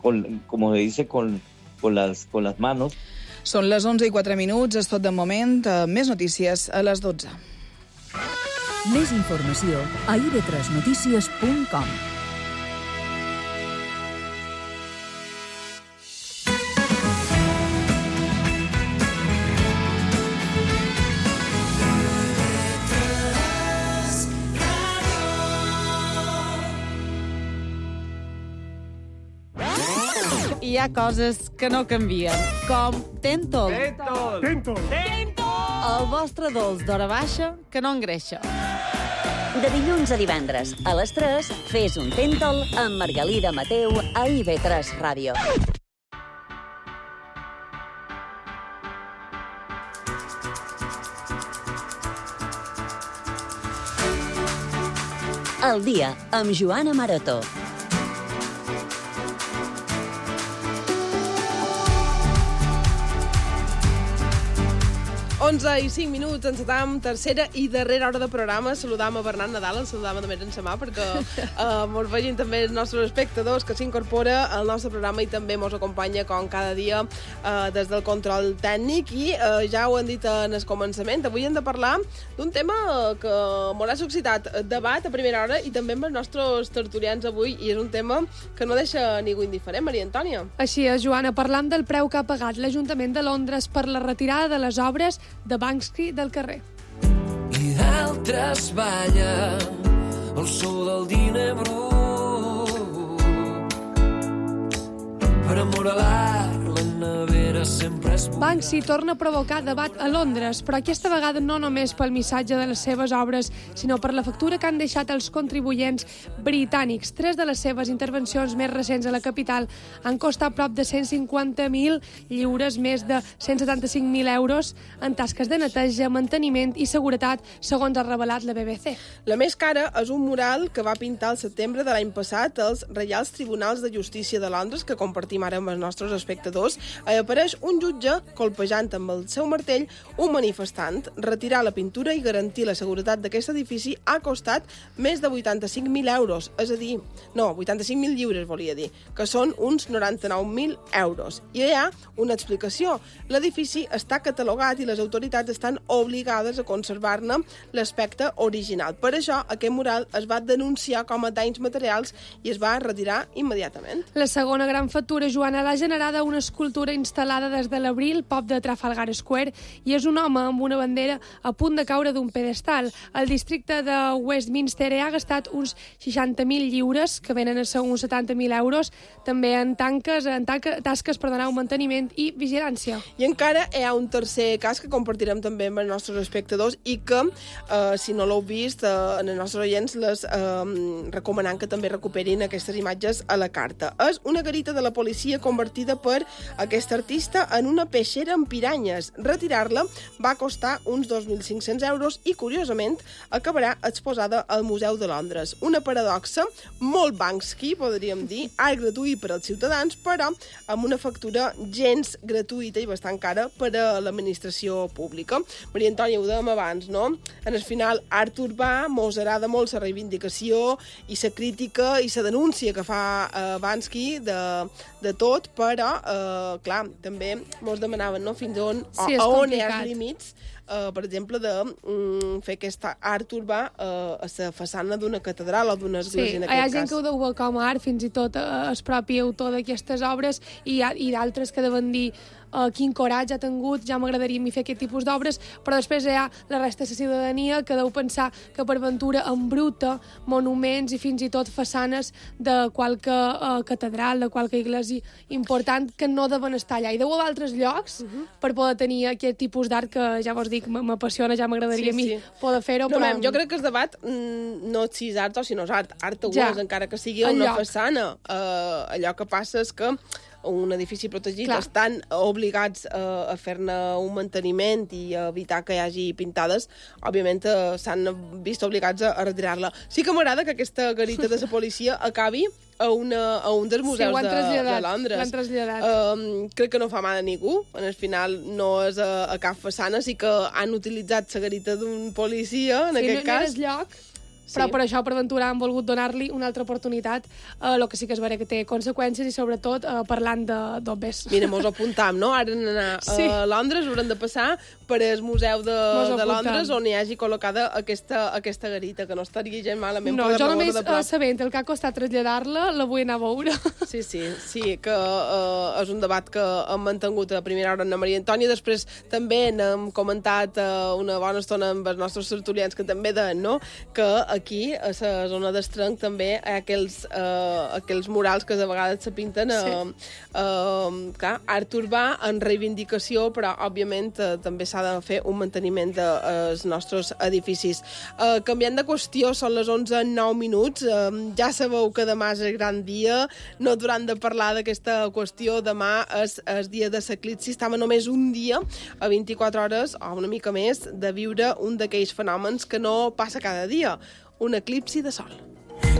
como se dice, con las manos. Són les 11:04, és tot de moment. Més notícies a les 12. Més informació a ib3notícies.com. Hi ha coses que no canvien, com Tentol. Tentol! El vostre dolç d'hora baixa que no engreixa. De dilluns a divendres, a les 3, fes un Tentol amb Margalida Mateu a IB3 Ràdio. El dia amb Joana Maroto. 11:05, encetam tercera i darrera hora de programa. Saludam a Bernat Nadal, el saludam també en sa mà, perquè mos vegin també els nostres espectadors que s'incorpora al nostre programa i també mos acompanya, com cada dia, des del control tècnic. I ja ho han dit en el començament, avui hem de parlar d'un tema que mos ha suscitat debat a primera hora i també amb els nostres tertulians avui, i és un tema que no deixa ningú indiferent, Maria Antònia. Així és, Joana, parlam del preu que ha pagat l'Ajuntament de Londres per la retirada de les obres de Banksy del carrer. I d'altres balla el so del diner brut per amoralar la nevera sempre és buida. Banksy torna a provocar debat a Londres, però aquesta vegada no només pel missatge de les seves obres, sinó per la factura que han deixat els contribuents britànics. 3 de les seves intervencions més recents a la capital han costat prop de 150.000 lliures, més de 175.000 euros en tasques de neteja, manteniment i seguretat, segons ha revelat la BBC. La més cara és un mural que va pintar al setembre de l'any passat als Reials Tribunals de Justícia de Londres, que compartim ara amb els nostres espectadors. Apareix un jutge colpejant amb el seu martell un manifestant. Retirar la pintura i garantir la seguretat d'aquest edifici ha costat més de 85.000 euros, és a dir, no, 85.000 lliures volia dir, que són uns 99.000 euros. I hi ha una explicació. L'edifici està catalogat i les autoritats estan obligades a conservar-ne l'aspecte original. Per això, aquest mural es va denunciar com a danys materials i es va retirar immediatament. La segona gran factura, Joana, l'ha generada una escultura instal·lada des de l'abril, pop de Trafalgar Square, i és un home amb una bandera a punt de caure d'un pedestal. El districte de Westminster ha gastat uns 60.000 lliures, que venen a ser uns 70.000 euros, també en tasques per donar un manteniment i vigilància. I encara hi ha un tercer cas que compartirem també amb els nostres espectadors i que, si no l'heu vist, en els nostres oients les recomanant que també recuperin aquestes imatges a la carta. És una garita de la policia convertida per aquest artista en una peixera amb piranyes. Retirar-la va costar uns 2.500 euros i, curiosament, acabarà exposada al Museu de Londres. Una paradoxa molt Banksy, podríem dir, art gratuït per als ciutadans, però amb una factura gens gratuïta i bastant cara per a l'administració pública. Maria Antònia, ho dèiem abans, no? En el final, art urbà, mos agrada molt la reivindicació i la crítica i la denúncia que fa Banksy de tot, però, clar, també mos demanaven, no?, fins on, sí, a on hi ha els límits, per exemple, de fer aquest art urbà a la façana d'una catedral o d'una església, en aquest cas. Hi ha gent que ho deu veure com a art, fins i tot el propi autor d'aquestes obres, i d'altres que deuen dir quin coratge ha tingut, ja m'agradaria fer aquest tipus d'obres, però després hi ha la resta de la ciutadania que deu pensar que per ventura embruta monuments i fins i tot façanes de qualque catedral, de qualque església important que no deuen estar allà. I deu haver altres llocs per poder tenir aquest tipus d'art que, ja vos dic, m'apassiona, ja m'agradaria a mi poder fer-ho. No, però jo crec que el debat no és si és art o si no és art. Art ho és, encara que sigui una façana. Allò que passa és que un edifici protegit estan obligats a fer-ne un manteniment i a evitar que hi hagi pintades, òbviament s'han vist obligats a retirar-la. Sí que m'agrada que aquesta garita de la policia acabi a un dels museus de Londres. L'han traslladat. Crec que no fa mal a ningú. En el final no és a cap façana, sí que han utilitzat la garita d'un policia, en aquest cas. Sí, no és lloc. però per això, per aventurar, han volgut donar-li una altra oportunitat, el que sí que és vera que té conseqüències i, sobretot, parlant d'obès. Mira, mos apuntam, no? Ara anar a Londres, haurem de passar per el Museu de Londres, on hi hagi col·locada aquesta garita, que no estaria gens malament. No, jo només sabent el que ha costat traslladar-la, la vull anar a veure. Sí, que és un debat que hem mantingut a primera hora amb la Maria Antònia. Després també n'hem comentat una bona estona amb els nostres tertulians que també deien, no?, que aquí, a la zona d'Estrenc, també hi ha aquells murals que de vegades se pinten art urbà en reivindicació, però, òbviament, també s'ha de fer un manteniment dels nostres edificis. Canviant de qüestió, són les 11:09. Ja sabeu que demà és el gran dia, no hauran de parlar d'aquesta qüestió. Demà és el dia de l'eclipsi. Estava només un dia, a 24 hores, o una mica més, de viure un d'aquells fenòmens que no passa cada dia, un eclipsi de sol.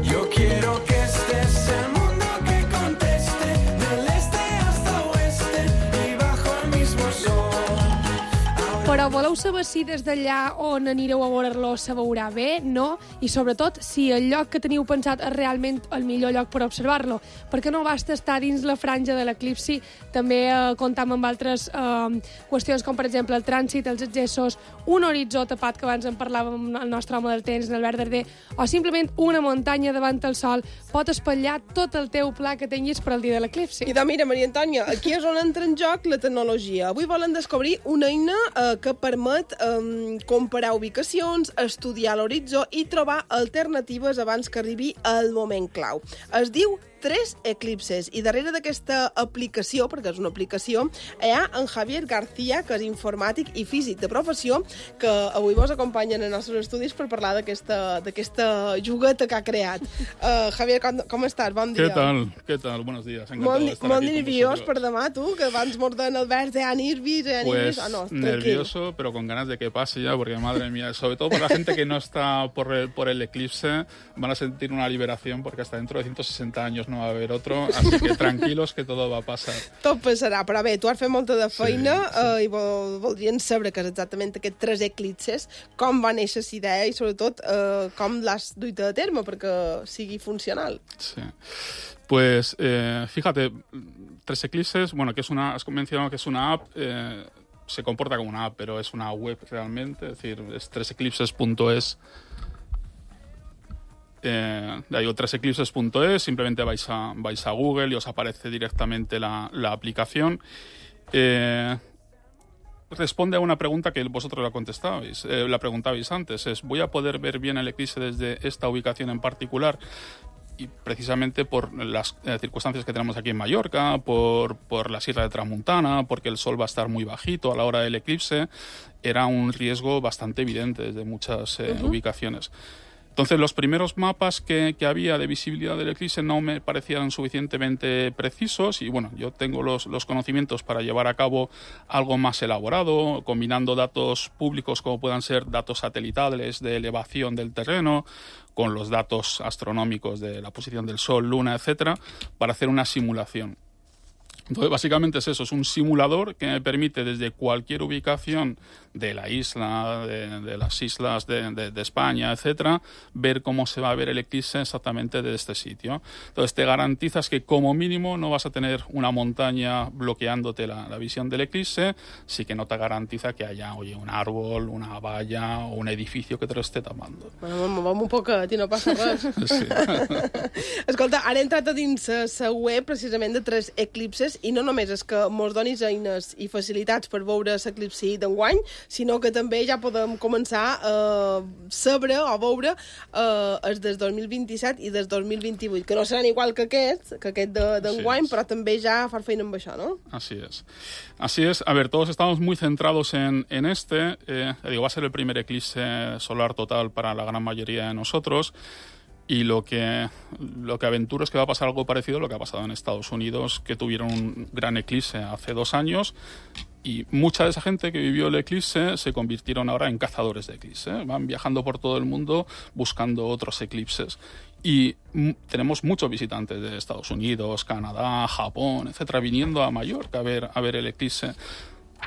Yo quiero que estés el mundo que conteste del este hasta oeste y bajo el mismo sol. Però voleu saber si des d'allà on anireu a veure-lo se veurà bé, no? I sobretot si el lloc que teniu pensat és realment el millor lloc per observar-lo. Perquè no basta estar dins la franja de l'eclipsi, també comptam amb altres qüestions com per exemple el trànsit, els accessos, un horitzó tapat que abans en parlàvem el nostre home del temps, en Albert Darder, o simplement una muntanya davant el sol pot espatllar tot el teu pla que tinguis per al dia de l'eclipsi. I mira, Maria Antònia, aquí és on entra en joc la tecnologia. Avui volen descobrir una eina que permet comparar ubicacions, estudiar l'horitzó i trobar alternatives abans que arribi el moment clau. Es diu 3 eclipses, i darrere d'aquesta aplicació, perquè és una aplicació, hi ha en Javier García, que és informàtic i físic de professió, que avui vos acompanya en els nostres estudis per parlar d'aquesta jugueta que ha creat. Javier, com estàs? Bon dia. ¿Qué tal? Buenos días. Encantado de estar molt aquí nerviós per demà, tu, que abans morden Albert de nervis. Pues nervioso, pero con ganas de que pase ya, porque madre mía, sobre todo para la gente que no está por el eclipse, van a sentir una liberación, porque hasta dentro de 160 años no va a haber otro, así que tranquilos que todo va a pasar. Tot passarà, però bé, tu has fet molta de feina i voldrien saber que és exactament aquests 3 eclipses, com va néixer la idea i sobretot com l'has duit a terme perquè sigui funcional. Sí. Pues fíjate, 3 eclipses, bueno, que es has mencionado que es una app, se comporta como una app, pero es una web realmente, es decir, es 3eclipses.es. Digo 3eclipses.es, simplemente vais a Google y os aparece directamente la aplicación. Responde a una pregunta que vosotros la preguntabais antes, es ¿voy a poder ver bien el eclipse desde esta ubicación en particular? Y precisamente por las circunstancias que tenemos aquí en Mallorca, por la Sierra de Tramuntana, porque el sol va a estar muy bajito a la hora del eclipse, era un riesgo bastante evidente desde muchas ubicaciones. Entonces, los primeros mapas que había de visibilidad del eclipse no me parecían suficientemente precisos y, bueno, yo tengo los conocimientos para llevar a cabo algo más elaborado, combinando datos públicos como puedan ser datos satelitales de elevación del terreno con los datos astronómicos de la posición del Sol, Luna, etcétera, para hacer una simulación. Entonces, básicamente es eso, es un simulador que me permite desde cualquier ubicación de la isla, de las islas de España, etcétera, ver cómo se va a ver el eclipse exactamente de este sitio. Entonces, te garantizas que como mínimo no vas a tener una montaña bloqueándote la visión del eclipse, sí que no te garantiza que haya, un árbol, una valla o un edificio que te lo esté tapando. Bueno, movem un poquet i no passa res. Sí. Escolta, ara he entrat a dins la web precisament de 3 eclipses i no només és que mos donis eines i facilitats per veure l'eclipsi d'enguany, sinó que també ja podem començar a saber o veure els del 2027 i des 2028, que no seran igual que aquest d'enguany, però també ja far feina amb això, ¿no? Así es. Así es. A ver, todos estamos muy centrados en este. Va a ser el primer eclipse solar total para la gran mayoría de nosotros. Y lo que aventuro es que va a pasar algo parecido a lo que ha pasado en Estados Unidos, que tuvieron un gran eclipse hace 2 años y mucha de esa gente que vivió el eclipse se convirtieron ahora en cazadores de eclipse. Van viajando por todo el mundo buscando otros eclipses. Y tenemos muchos visitantes de Estados Unidos, Canadá, Japón, etcétera, viniendo a Mallorca a ver el eclipse.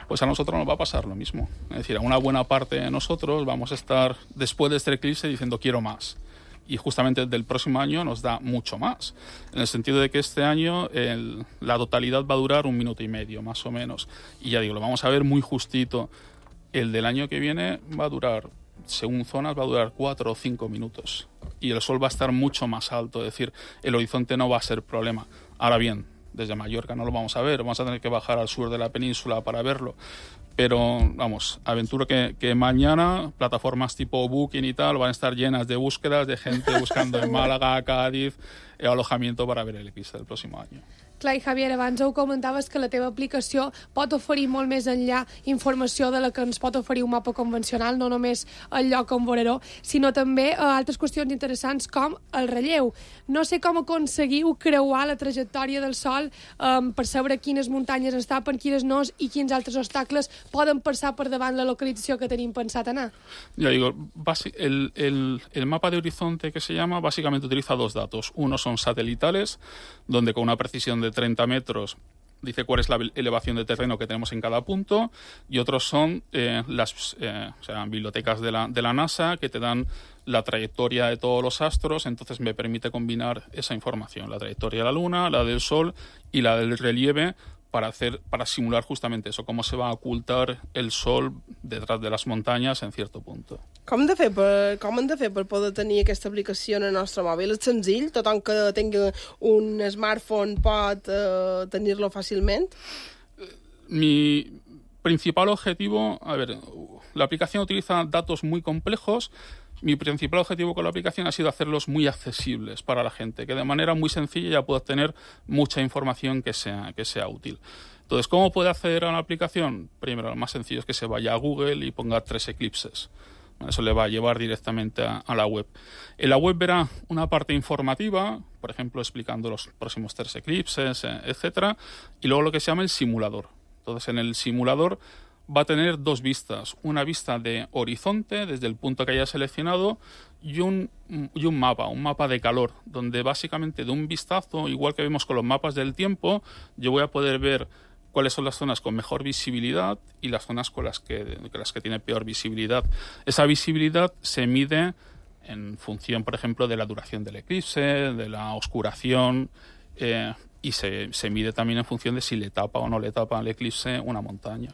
Pues a nosotros nos va a pasar lo mismo. Es decir, a una buena parte de nosotros vamos a estar después de este eclipse diciendo quiero más. y justamente del próximo año nos da mucho más, en el sentido de que este año la totalidad va a durar 1 minuto y medio, más o menos, y ya digo, lo vamos a ver muy justito. El del año que viene va a durar, según zonas, va a durar 4 o 5 minutos, y el sol va a estar mucho más alto, es decir, el horizonte no va a ser problema. Ahora bien, desde Mallorca no lo vamos a ver, vamos a tener que bajar al sur de la península para verlo. Pero, vamos, aventuro que mañana plataformas tipo Booking y tal van a estar llenas de búsquedas de gente buscando en Málaga, Cádiz, alojamiento para ver el eclipse del próximo año. Clar, i Javier, abans ho comentaves que la teva aplicació pot oferir molt més enllà informació de la que ens pot oferir un mapa convencional, no només el lloc on veuró, sinó també altres qüestions interessants com el relleu. No sé com aconseguiu creuar la trajectòria del Sol per saber quines muntanyes es tapen, quines no, i quins altres obstacles poden passar per davant la localització que tenim pensat anar. Ya digo, el mapa de horizonte que se llama básicamente utiliza 2 datos. Uno son satelitales, donde con una precisión de 30 metros dice cuál es la elevación de terreno que tenemos en cada punto, y otros son las bibliotecas de la NASA, que te dan la trayectoria de todos los astros. Entonces me permite combinar esa información, la trayectoria de la Luna, la del Sol y la del relieve, para simular justamente eso, cómo se va a ocultar el Sol detrás de las montañas en cierto punto. Com hem de fer per poder tenir aquesta aplicació en el nostre mòbil? És senzill? Tothom que tingui un smartphone pot tenir-lo fàcilment? Mi principal objetivo, la aplicación utiliza datos muy complejos. Mi principal objetivo con la aplicación ha sido hacerlos muy accesibles para la gente, que de manera muy sencilla ya pueda obtener mucha información que sea útil. Entonces, ¿cómo puede acceder a la aplicación? Primero, lo más sencillo es que se vaya a Google y ponga 3 eclipses. Eso le va a llevar directamente a la web. En la web verá una parte informativa, por ejemplo, explicando los próximos 3 eclipses, etcétera, y luego lo que se llama el simulador. Entonces, en el simulador va a tener 2 vistas, una vista de horizonte desde el punto que haya seleccionado y un mapa de calor, donde básicamente de un vistazo, igual que vemos con los mapas del tiempo, yo voy a poder ver cuáles son las zonas con mejor visibilidad y las zonas con las que tiene peor visibilidad. Esa visibilidad se mide en función, por ejemplo, de la duración del eclipse, de la oscuración, y se mide también en función de si le tapa o no le tapa al eclipse una montaña.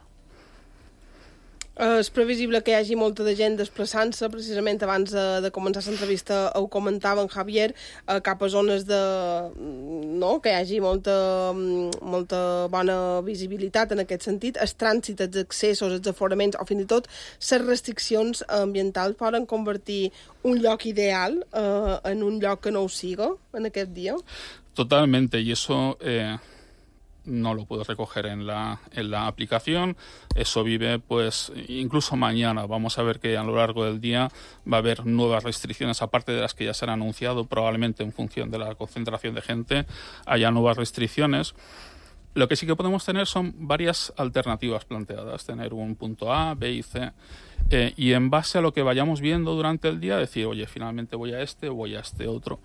És previsible que hi hagi molta de gent desplaçant-se, precisament abans de començar l'entrevista ho comentava en Javier, cap a zones que hi hagi molta bona visibilitat en aquest sentit. El trànsit, els accessos, els aforaments o fins i tot les restriccions ambientals poden convertir un lloc ideal en un lloc que no ho siga en aquest dia? Totalmente, y eso no lo puedo recoger en la aplicación. Eso vive, pues, incluso mañana. Vamos a ver que a lo largo del día va a haber nuevas restricciones, aparte de las que ya se han anunciado, probablemente en función de la concentración de gente, haya nuevas restricciones. Lo que sí que podemos tener son varias alternativas planteadas, tener un punto A, B y C, y en base a lo que vayamos viendo durante el día, decir, oye, finalmente voy a este o voy a este otro.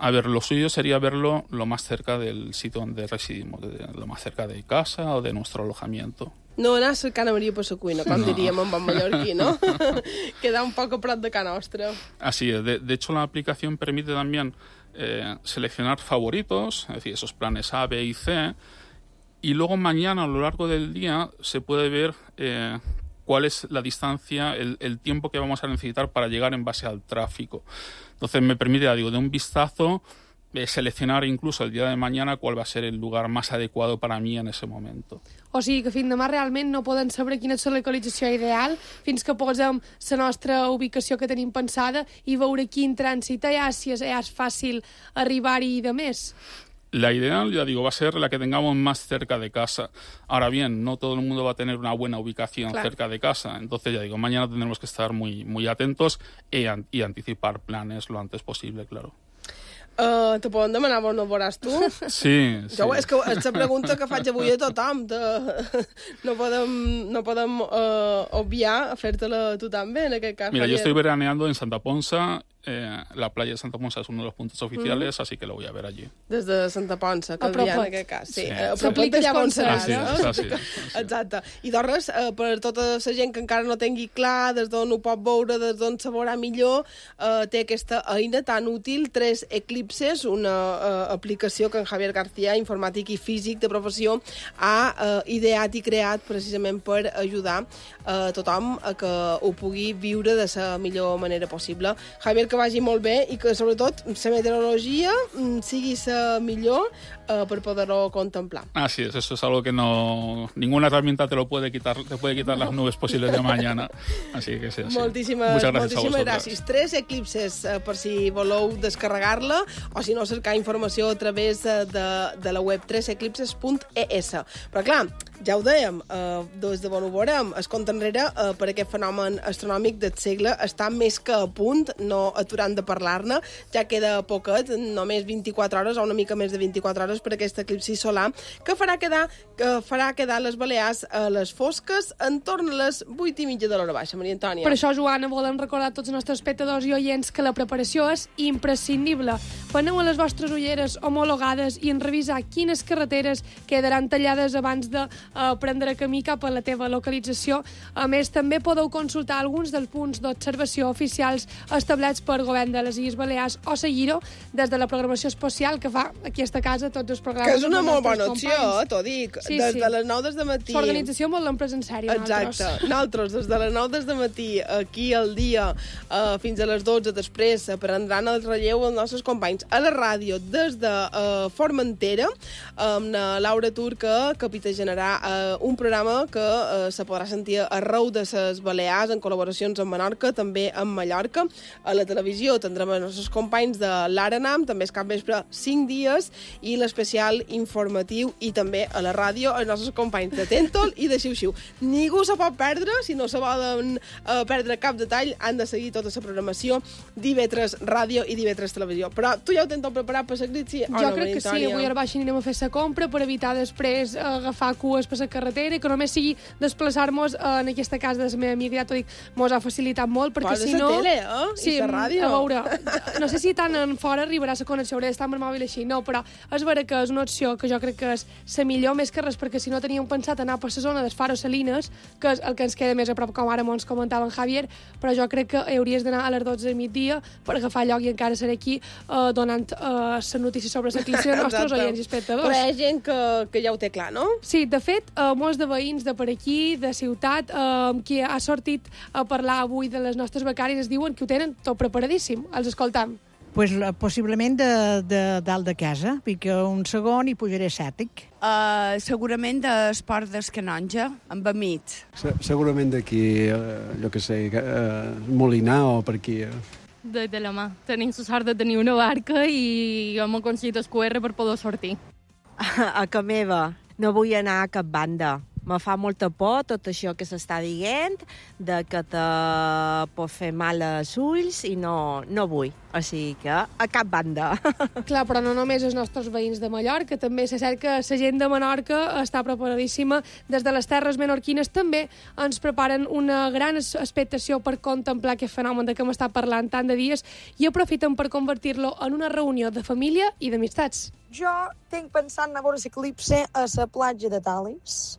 A ver, lo suyo sería verlo lo más cerca del sitio donde residimos, lo más cerca de casa o de nuestro alojamiento. No anar cercant a Maria per la cuina, com diríem en bon mallorquí, ¿no? Queda un poc a prop de casa nostra. Así es. De hecho, la aplicación permite también seleccionar favoritos, es decir, esos planes A, B y C, y luego mañana, a lo largo del día, se puede ver cuál es la distancia, el tiempo que vamos a necesitar para llegar en base al tráfico. Entonces me permite, de un vistazo, seleccionar incluso el día de mañana cuál va a ser el lugar más adecuado para mí en ese momento. O sigui que fins demà realment no poden saber quina és la localització ideal fins que posem la nostra ubicació que tenim pensada i veure quin trànsit hi ha, si és fàcil arribar-hi i de més. La ideal, ya digo, va a ser la que tengamos más cerca de casa. Ahora bien, no todo el mundo va a tener una buena ubicación cerca de casa. Entonces, ya digo, mañana tendremos que estar muy, muy atentos y anticipar planes lo antes posible, claro. Te poden demanar on no veuràs tu? Sí. És que és la pregunta que faig avui a tothom. No podem obviar a fer-te-la tu també, en aquest cas. Mira, yo estoy veraneando en Santa Ponsa la playa de Santa Ponsa es uno de los puntos oficiales, así que lo voy a ver allí. Des de Santa Ponsa, que en aquest cas. Sí, a sí. propet d'allà on seràs, no? Sí. Exacte. I doncs, per tota la gent que encara no tingui clar des d'on ho pot veure, des d'on se veurà millor, té aquesta eina tan útil, 3 Eclipses, una aplicació que en Javier García, informàtic i físic de professió, ha ideat i creat precisament per ajudar tothom a que ho pugui viure de la millor manera possible. Javier, que vagi molt bé i que, sobretot, la meteorologia sigui la millor per poder-ho contemplar. Así es, eso es algo que ninguna herramienta te puede quitar las nubes posibles de mañana. Así que sí. Moltíssimes gràcies. gràcies. 3 Eclipses per si voleu descarregar-la o si no cercar informació a través de la web 3eclipses.es. Però clar, ja ho dèiem, des de on ho veurem, es compta enrere per aquest fenomen astronòmic del segle està més que a punt, no aturant de parlar-ne, ja queda poquet, només 24 hores o una mica més de 24 hores per aquest eclipsi solar, que farà quedar les Balears a les fosques entorn a les 8:30 de l'hora baixa, Maria Antònia. Per això, Joana, volem recordar a tots els nostres espectadors i oients que la preparació és imprescindible. Aneu a les vostres ulleres homologades i en revisar quines carreteres quedaran tallades abans de prendre camí cap a la teva localització. A més, també podeu consultar alguns dels punts d'observació oficials establerts pel govern de les Illes Balears o seguir-ho des de la programació especial que fa aquí a esta casa tots els programes. Que és una molt bona opció, t'ho dic. Sí, des de les 9 del matí. L'organització molt l'hem pres en sèrio. Exacte. Nosaltres, des de les 9 del matí, aquí al dia, fins a les 12 després, prendran el relleu els nostres companys a la ràdio des de Formentera, amb la Laura Turca, que capitanejarà un programa que se podrà sentir arreu de les Balears, en col·laboracions amb Menorca, també amb Mallorca. A la televisió tindrem els nostres companys de l'Arenam, també és capvespre 5 dies, i l'especial informatiu, i també a la ràdio els nostres companys de Tentol i de Xiu-Xiu. Ningú se pot perdre, si no se volen perdre cap detall, han de seguir tota la programació d'IV3 Ràdio i d'IV3 Televisió. Però tu ja ho tens tot preparat per l'eclipsi? Jo crec que sí, avui a la baixa anirem a fer la compra per evitar després agafar cues per la carretera i que només sigui desplaçar-nos en aquesta casa de la meva amiga, ja t'ho dic, mos ha facilitat molt, perquè si no... Posa la tele, sí, i la ràdio. A veure, no sé si tant en fora arribarà la connexió, hauré d'estar amb el mòbil així, no, però és vera que és una opció que jo crec que és la millor, més que res, perquè si no teníem pensat anar per la zona del Faro Salines, que és el que ens queda més a prop, com ara ens comentava en Javier, però jo crec que hauries d'anar a les 12 del migdia per agafar lloc i encara seré aquí donant les notícies sobre l'eclipsi als nostres oients i espectadors. Però hi ha gent que ja ho té clar, no? Sí, de fet, molts de veïns de per aquí, de ciutat, qui ha sortit a parlar avui de les nostres becàries, es diuen que ho tenen tot preparadíssim. Els escoltam. Pues, possiblement de dalt de casa, perquè un segon hi pujaré sètic. Segurament d'Esport del Canonja, amb Amit. Segurament d'aquí, jo que sé, Molinar o per aquí. De la mà. Tenim la sort de tenir una barca i hem aconseguit el QR per poder sortir. A casa meva no vull anar a cap banda. Me fa molta por tot això que s'està dient, de que te pot fer mal als ulls i no vull. O sigui que a cap banda. Clar, però no només els nostres veïns de Mallorca, també se sent que la gent de Menorca està preparadíssima. Des de les terres menorquines també ens preparen una gran expectació per contemplar aquest fenomen de què hem estat parlant tant de dies i aprofiten per convertir-lo en una reunió de família i d'amistats. Jo tinc pensant anar a veure l'eclipsi a la platja de Talis.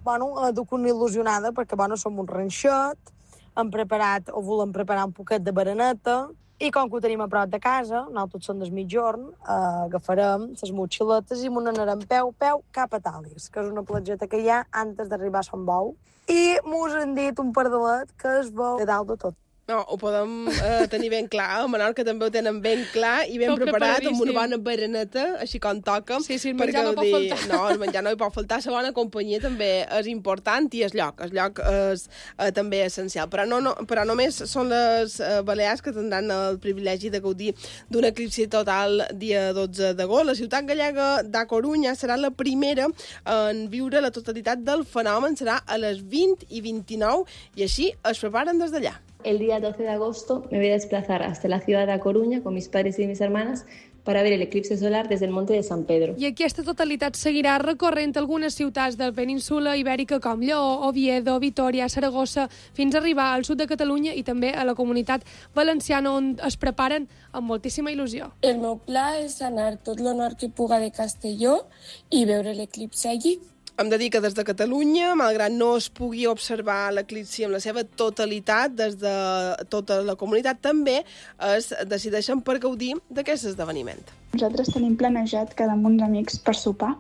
Duc una il·lusionada perquè, som un ranxet, hem preparat, o volem preparar un poquet de bereneta, i com que ho tenim a prop de casa, nosaltres som del mitjorn, agafarem les motxiletes i n'anarem peu cap a Talis, que és una platgeta que hi ha antes d'arribar a Sant Bou, i mos han dit un pardalet que es veu de dalt de tot. No, ho podem tenir ben clar. A Menorca també ho tenen ben clar i ben preparat, amb una bona bereneta, així com toca. Sí, el menjar no pot faltar. No, el menjar no hi pot faltar. La bona companyia també és important i el lloc és també essencial. Però només són les Balears que tindran el privilegi de gaudir d'un eclipsi total dia 12 d'agost. La ciutat gallega d'A Corunya serà la primera en viure la totalitat del fenomen. Serà a les 20 i 29 i així es preparen des d'allà. El día 12 de agosto me voy a desplazar hasta la ciudad de A Coruña con mis padres y mis hermanas para ver el eclipse solar desde el monte de San Pedro. I aquesta totalitat seguirà recorrent algunes ciutats de la península ibèrica com Lleó, Oviedo, Vitoria, Saragossa, fins a arribar al sud de Catalunya i també a la Comunitat Valenciana, on es preparen amb moltíssima il·lusió. El meu pla és anar tot lo nord que puga de Castelló i veure l'eclipse allí. Hem de dir que des de Catalunya, malgrat no es pugui observar l'eclipsi en la seva totalitat, des de tota la comunitat també es decideixen per gaudir d'aquest esdeveniment. Nosaltres tenim planejat quedar amb uns amics per sopar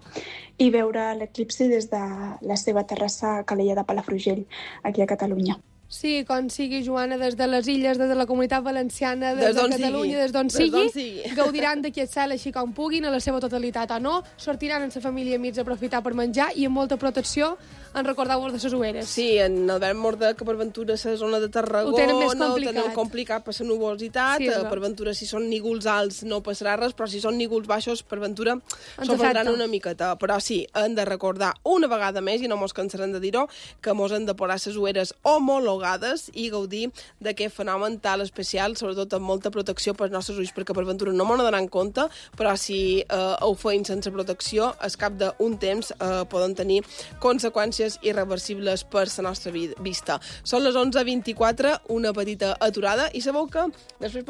i veure l'eclipsi des de la seva terrassa a Calella de Palafrugell, aquí a Catalunya. Sí, com sigui, Joana, des de les illes, des de la Comunitat Valenciana, des de Catalunya, des d'on sigui, gaudiran d'aquest cel així com puguin, a la seva totalitat o no, sortiran amb la família i amics a aprofitar per menjar i amb molta protecció. En recordeu-vos de les ueres. Sí, en Albert Morda, que per ventura la zona de Tarragona ho tenen més ho complicat. tenen complicat per la nubositat, sí, per ventura si són nígols alts no passarà res, però si són nígols baixos per ventura s'ho perdran una miqueta. Però sí, hem de recordar una vegada més, i no mos cansarem de dir-ho, que mos hem de posar les ueres homologades i gaudir d'aquest fenomen tan especial, sobretot amb molta protecció pels nostres ulls, perquè per ventura no m'ho donaran compte, però si ho feim sense protecció, al cap d'un temps poden tenir conseqüències irreversibles per la nostra vista. Són les 11:24, una petita aturada, i sabeu que després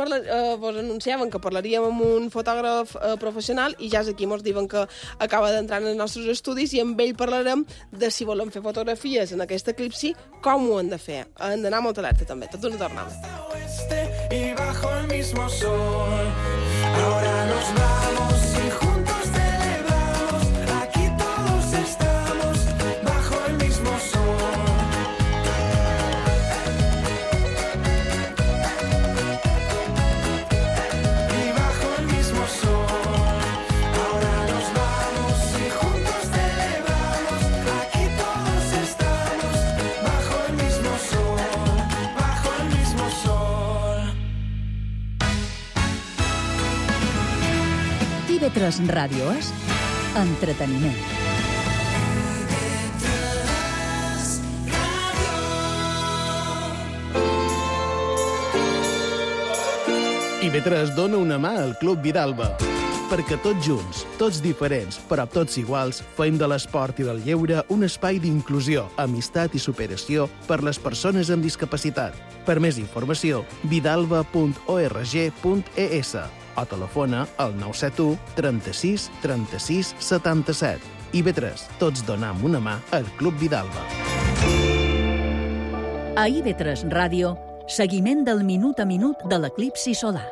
vos anunciaven que parlaríem amb un fotògraf professional i ja és aquí, mos diuen que acaba d'entrar en els nostres estudis i amb ell parlarem de si volem fer fotografies en aquest eclipsi, com ho hem de fer. Hem d'anar molt alerta també, tot una tornada. Y bajo el mismo sol, ahora nos vamos y juntos celebramos, aquí todos estamos bajo el mismo sol. Y bajo el mismo sol, ahora nos vamos y juntos celebramos, aquí todos estamos bajo el mismo sol, bajo el mismo sol. TV3 Ràdio és entreteniment. IB3 dona una mà al Club Vidalba, perquè tots junts, tots diferents, però tots iguals, fem de l'esport i del lleure un espai d'inclusió, amistat i superació per les persones amb discapacitat. Per més informació, vidalba.org.es o telefona al 971 36 36 77. IB3, tots donam una mà al Club Vidalba. A IB3 Ràdio, seguiment del minut a minut de l'eclipsi solar.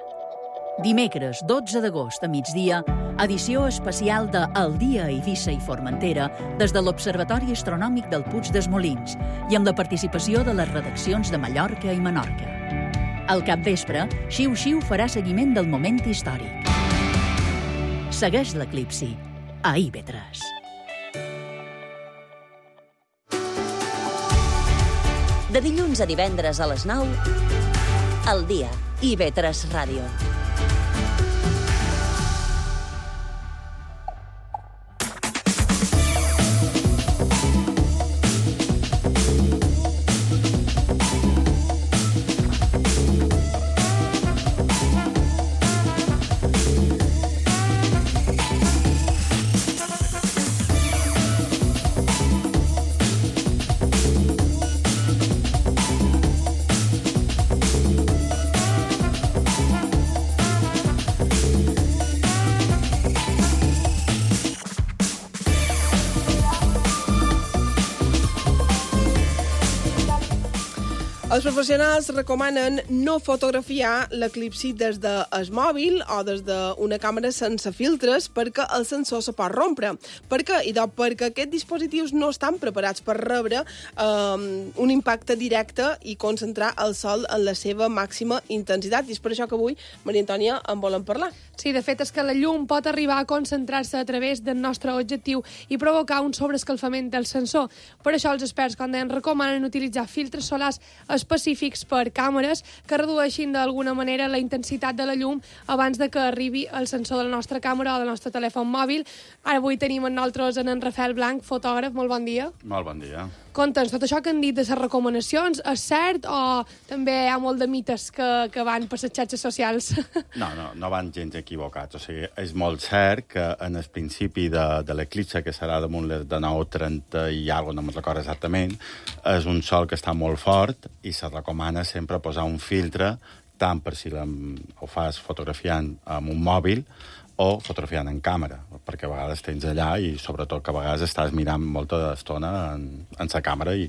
Dimecres 12 d'agost a migdia, edició especial de El dia a Eivissa i Formentera des de l'Observatori Astronòmic del Puig dels Molins i amb la participació de les redaccions de Mallorca i Menorca. Al capvespre, Xiu Xiu farà seguiment del moment històric. Segueix l'eclipsi a IB3. De dilluns a divendres a les 9, El dia, IB3 Ràdio. Els professionals recomanen no fotografiar l'eclipsi des del mòbil o des d'una càmera sense filtres perquè el sensor se pot rompre. Per què? Perquè aquests dispositius no estan preparats per rebre un impacte directe i concentrar el sol en la seva màxima intensitat. I és per això que avui, Maria Antònia, en volem parlar. Sí, de fet és que la llum pot arribar a concentrar-se a través del nostre objectiu i provocar un sobreescalfament del sensor. Per això els experts, com deien, recomanen utilitzar filtres solars específics per càmeres que redueixin d'alguna manera la intensitat de la llum abans de que arribi al sensor de la nostra càmera o del nostre telèfon mòbil. Ara avui tenim amb nosaltres en Rafael Blanc, fotògraf. Molt bon dia. Molt bon dia. Conta'ns, tot això que han dit de les recomanacions, és cert o també hi ha molt de mites que van per les xarxes socials? No van gens equivocats. O sigui, és molt cert que en el principi de l'eclipse, que serà damunt les de 9:30 i alguna cosa, no me'n recordo exactament, és un sol que està molt fort i se recomana sempre posar un filtre, tant per si ho fas fotografiant amb un mòbil o fotografiant en càmera, perquè a vegades tens allà i sobretot que a vegades estàs mirant molta estona en la càmera i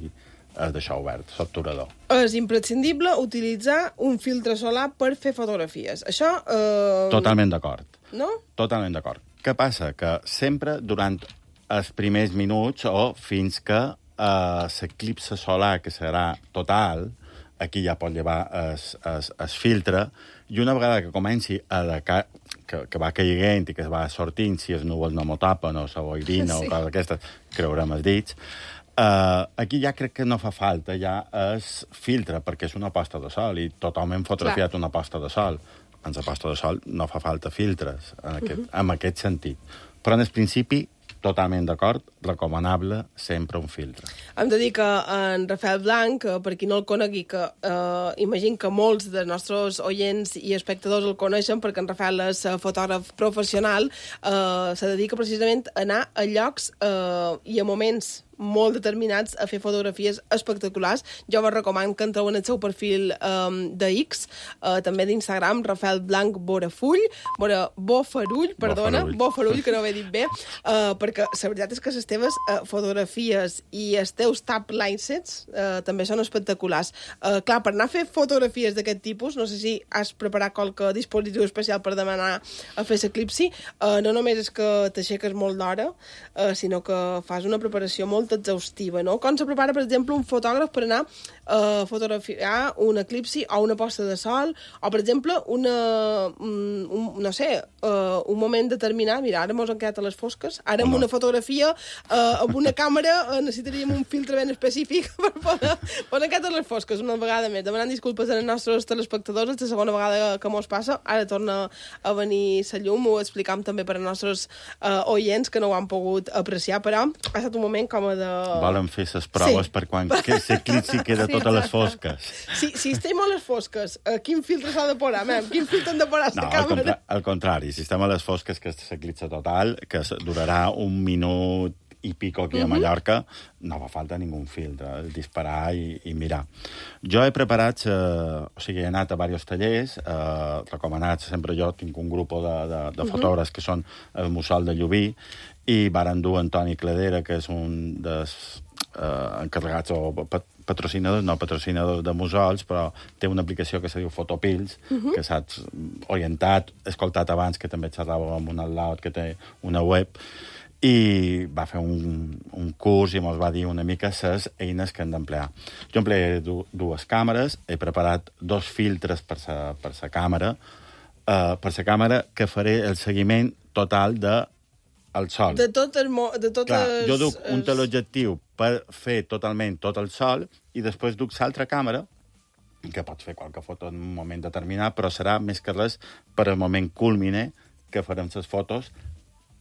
d'això obert, l'obturador. És imprescindible utilitzar un filtre solar per fer fotografies. Això... Totalment d'acord. No? Totalment d'acord. Què passa? Que sempre durant els primers minuts o fins que l'eclipse solar, que serà total, aquí ja pot llevar el filtre, i una vegada que comenci que va caiguent i que es va sortint, si els núvols no m'ho tapen o la boirina o coses d'aquestes, creurem els dits, aquí ja crec que no fa falta ja el filtre, perquè és una posta de sol i totalment fotografiat una posta de sol. En la posta de sol no fa falta filtres en aquest sentit. Però en el principi, totalment d'acord, recomanable sempre un filtre. Hem de dir que en Rafael Blanc, per qui no el conegui, que imagino que molts dels nostres oients i espectadors el coneixen, perquè en Rafael és fotògraf professional, se dedica precisament a anar a llocs i a moments molt determinats a fer fotografies espectaculars. Jo vos recomano que entreu en el seu perfil de X, també d'Instagram, Rafael Blanc Bofarull, Bofarull, que no ho he dit bé, perquè la veritat és que les teves fotografies i els teus tap linesets també són espectaculars. Clar, per anar a fer fotografies d'aquest tipus, no sé si has preparat qualque dispositiu especial per demanar a fer l'eclipsi, no només és que t'aixeques molt d'hora, sinó que fas una preparació molt exhaustiva, no? Com se prepara, per exemple, un fotògraf per anar a fotografiar un eclipsi o una posta de sol, o, per exemple, un moment determinat. Mira, ara mos han quedat a les fosques, ara amb una fotografia, amb una càmera, necessitaríem un filtre ben específic per poder quedat a les fosques una vegada més. Demanant disculpes als nostres telespectadors, és la segona vegada que mos passa, ara torna a venir la llum, ho explicam també per als nostres oients que no ho han pogut apreciar, però ha estat un moment com de... Volen fer les proves per quan l'eclipsi queda tot a les fosques. Si estem a les fosques, quin filtre s'ha de posar, quin filtre han de posar a la càmera? Al contrari, si estem a les fosques, que és l'eclipse total, que durarà 1 minut i pico aquí a Mallorca, no fa falta ningú filtre, el disparar i mirar. Jo he preparat, o sigui, he anat a diversos tallers, recomanats, sempre jo tinc un grup de fotògrafs que són el Mussol de Llubí, i varen dur Antoni Cladera, que és un dels encarregats o patrocinadors de mussols, però té una aplicació que se diu Fotopills, que saps orientat, escoltat abans, que també xerrava amb un al·laut que té una web, i va fer un curs i ens va dir una mica les eines que hem d'emplear. Jo emplearé dues càmeres, he preparat 2 filtres per la càmera, que faré el seguiment total del sol. De tot jo duc un teleobjectiu per fer totalment tot el sol i després duc l'altra càmera, que pots fer qualque foto en un moment determinat, però serà més que res per al moment culmine que farem les fotos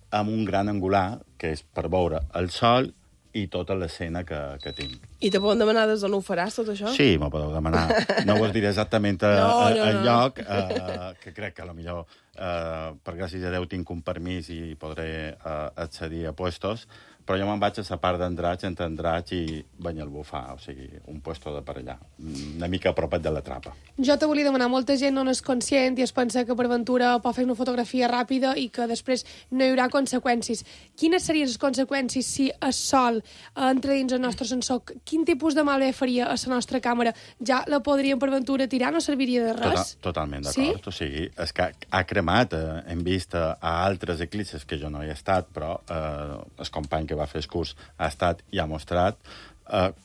amb un gran angular, que és per veure el sol i tota l'escena que tinc. I te poden demanar des d'on ho faràs, tot això? Sí, m'ho podeu demanar. No us diré exactament el lloc, que crec que potser, per gràcies a Déu, tinc un permís i podré accedir a puestos, però jo me'n vaig a la part d'Andratx, entre Andratx i Banyalbufar, o sigui, un puesto de per allà, una mica a propet de la trapa. Jo te volia demanar, molta gent no n'és conscient i es pensa que per aventura pot fer una fotografia ràpida i que després no hi haurà conseqüències. Quines serien les conseqüències si el sol entra dins el nostre sensor? Quin tipus de malbé faria a la nostra càmera? Ja la podríem per aventura tirar? No serviria de res? Totalment d'acord. Sí? O sigui, és que ha cremat, hem vist a altres eclipses que jo no hi he estat, però el company que va fer el curs ha estat i ha mostrat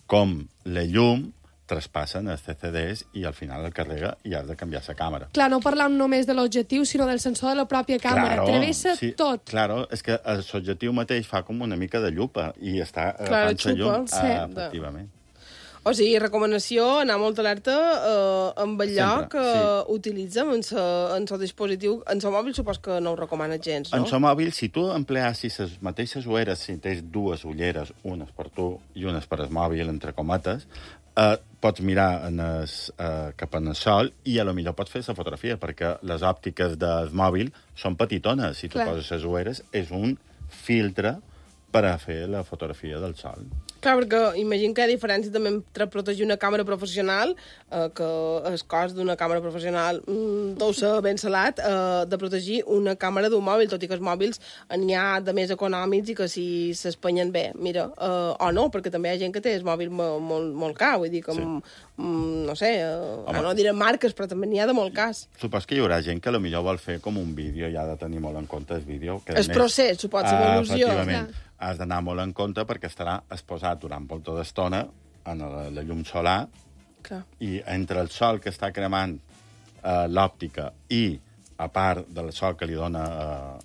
com la llum traspassen els CCDs i al final el carrega i has de canviar la càmera. Clar, no parlam només de l'objectiu, sinó del sensor de la pròpia càmera. Travessa tot. Claro, és que l'objectiu mateix fa com una mica de llupa i està agafant la llum. Efectivament. O sigui, recomanació, anar molt alerta amb el lloc que utilitzem en el dispositiu. En el mòbil supos que no ho recomana gens, no? En el mòbil, si tu empleassis les mateixes ulleres, si tens dues ulleres, unes per tu i unes per el mòbil, entre cometes, pots mirar cap en el sol i a lo millor pots fer la fotografia, perquè les òptiques del mòbil són petitones. Si tu poses les ulleres, és un filtre per a fer la fotografia del sol. Clar, perquè imagino que hi ha diferència també entre protegir una càmera professional, que el cost d'una càmera professional deu ser ben salat, de protegir una càmera d'un mòbil, tot i que els mòbils n'hi ha de més econòmics i que si s'espanyen bé, mira, o no, perquè també hi ha gent que té el mòbil molt car, vull dir que, no sé, no direm marques, però també n'hi ha de molt cas. Supos que hi haurà gent que potser vol fer com un vídeo i ha de tenir molt en compte el vídeo. El procés, supos, l'evolució. Efectivament. Has d'anar molt en compte perquè estarà exposat durant molta d'estona en la llum solar i entre el sol que està cremant l'òptica i a part del sol que li dona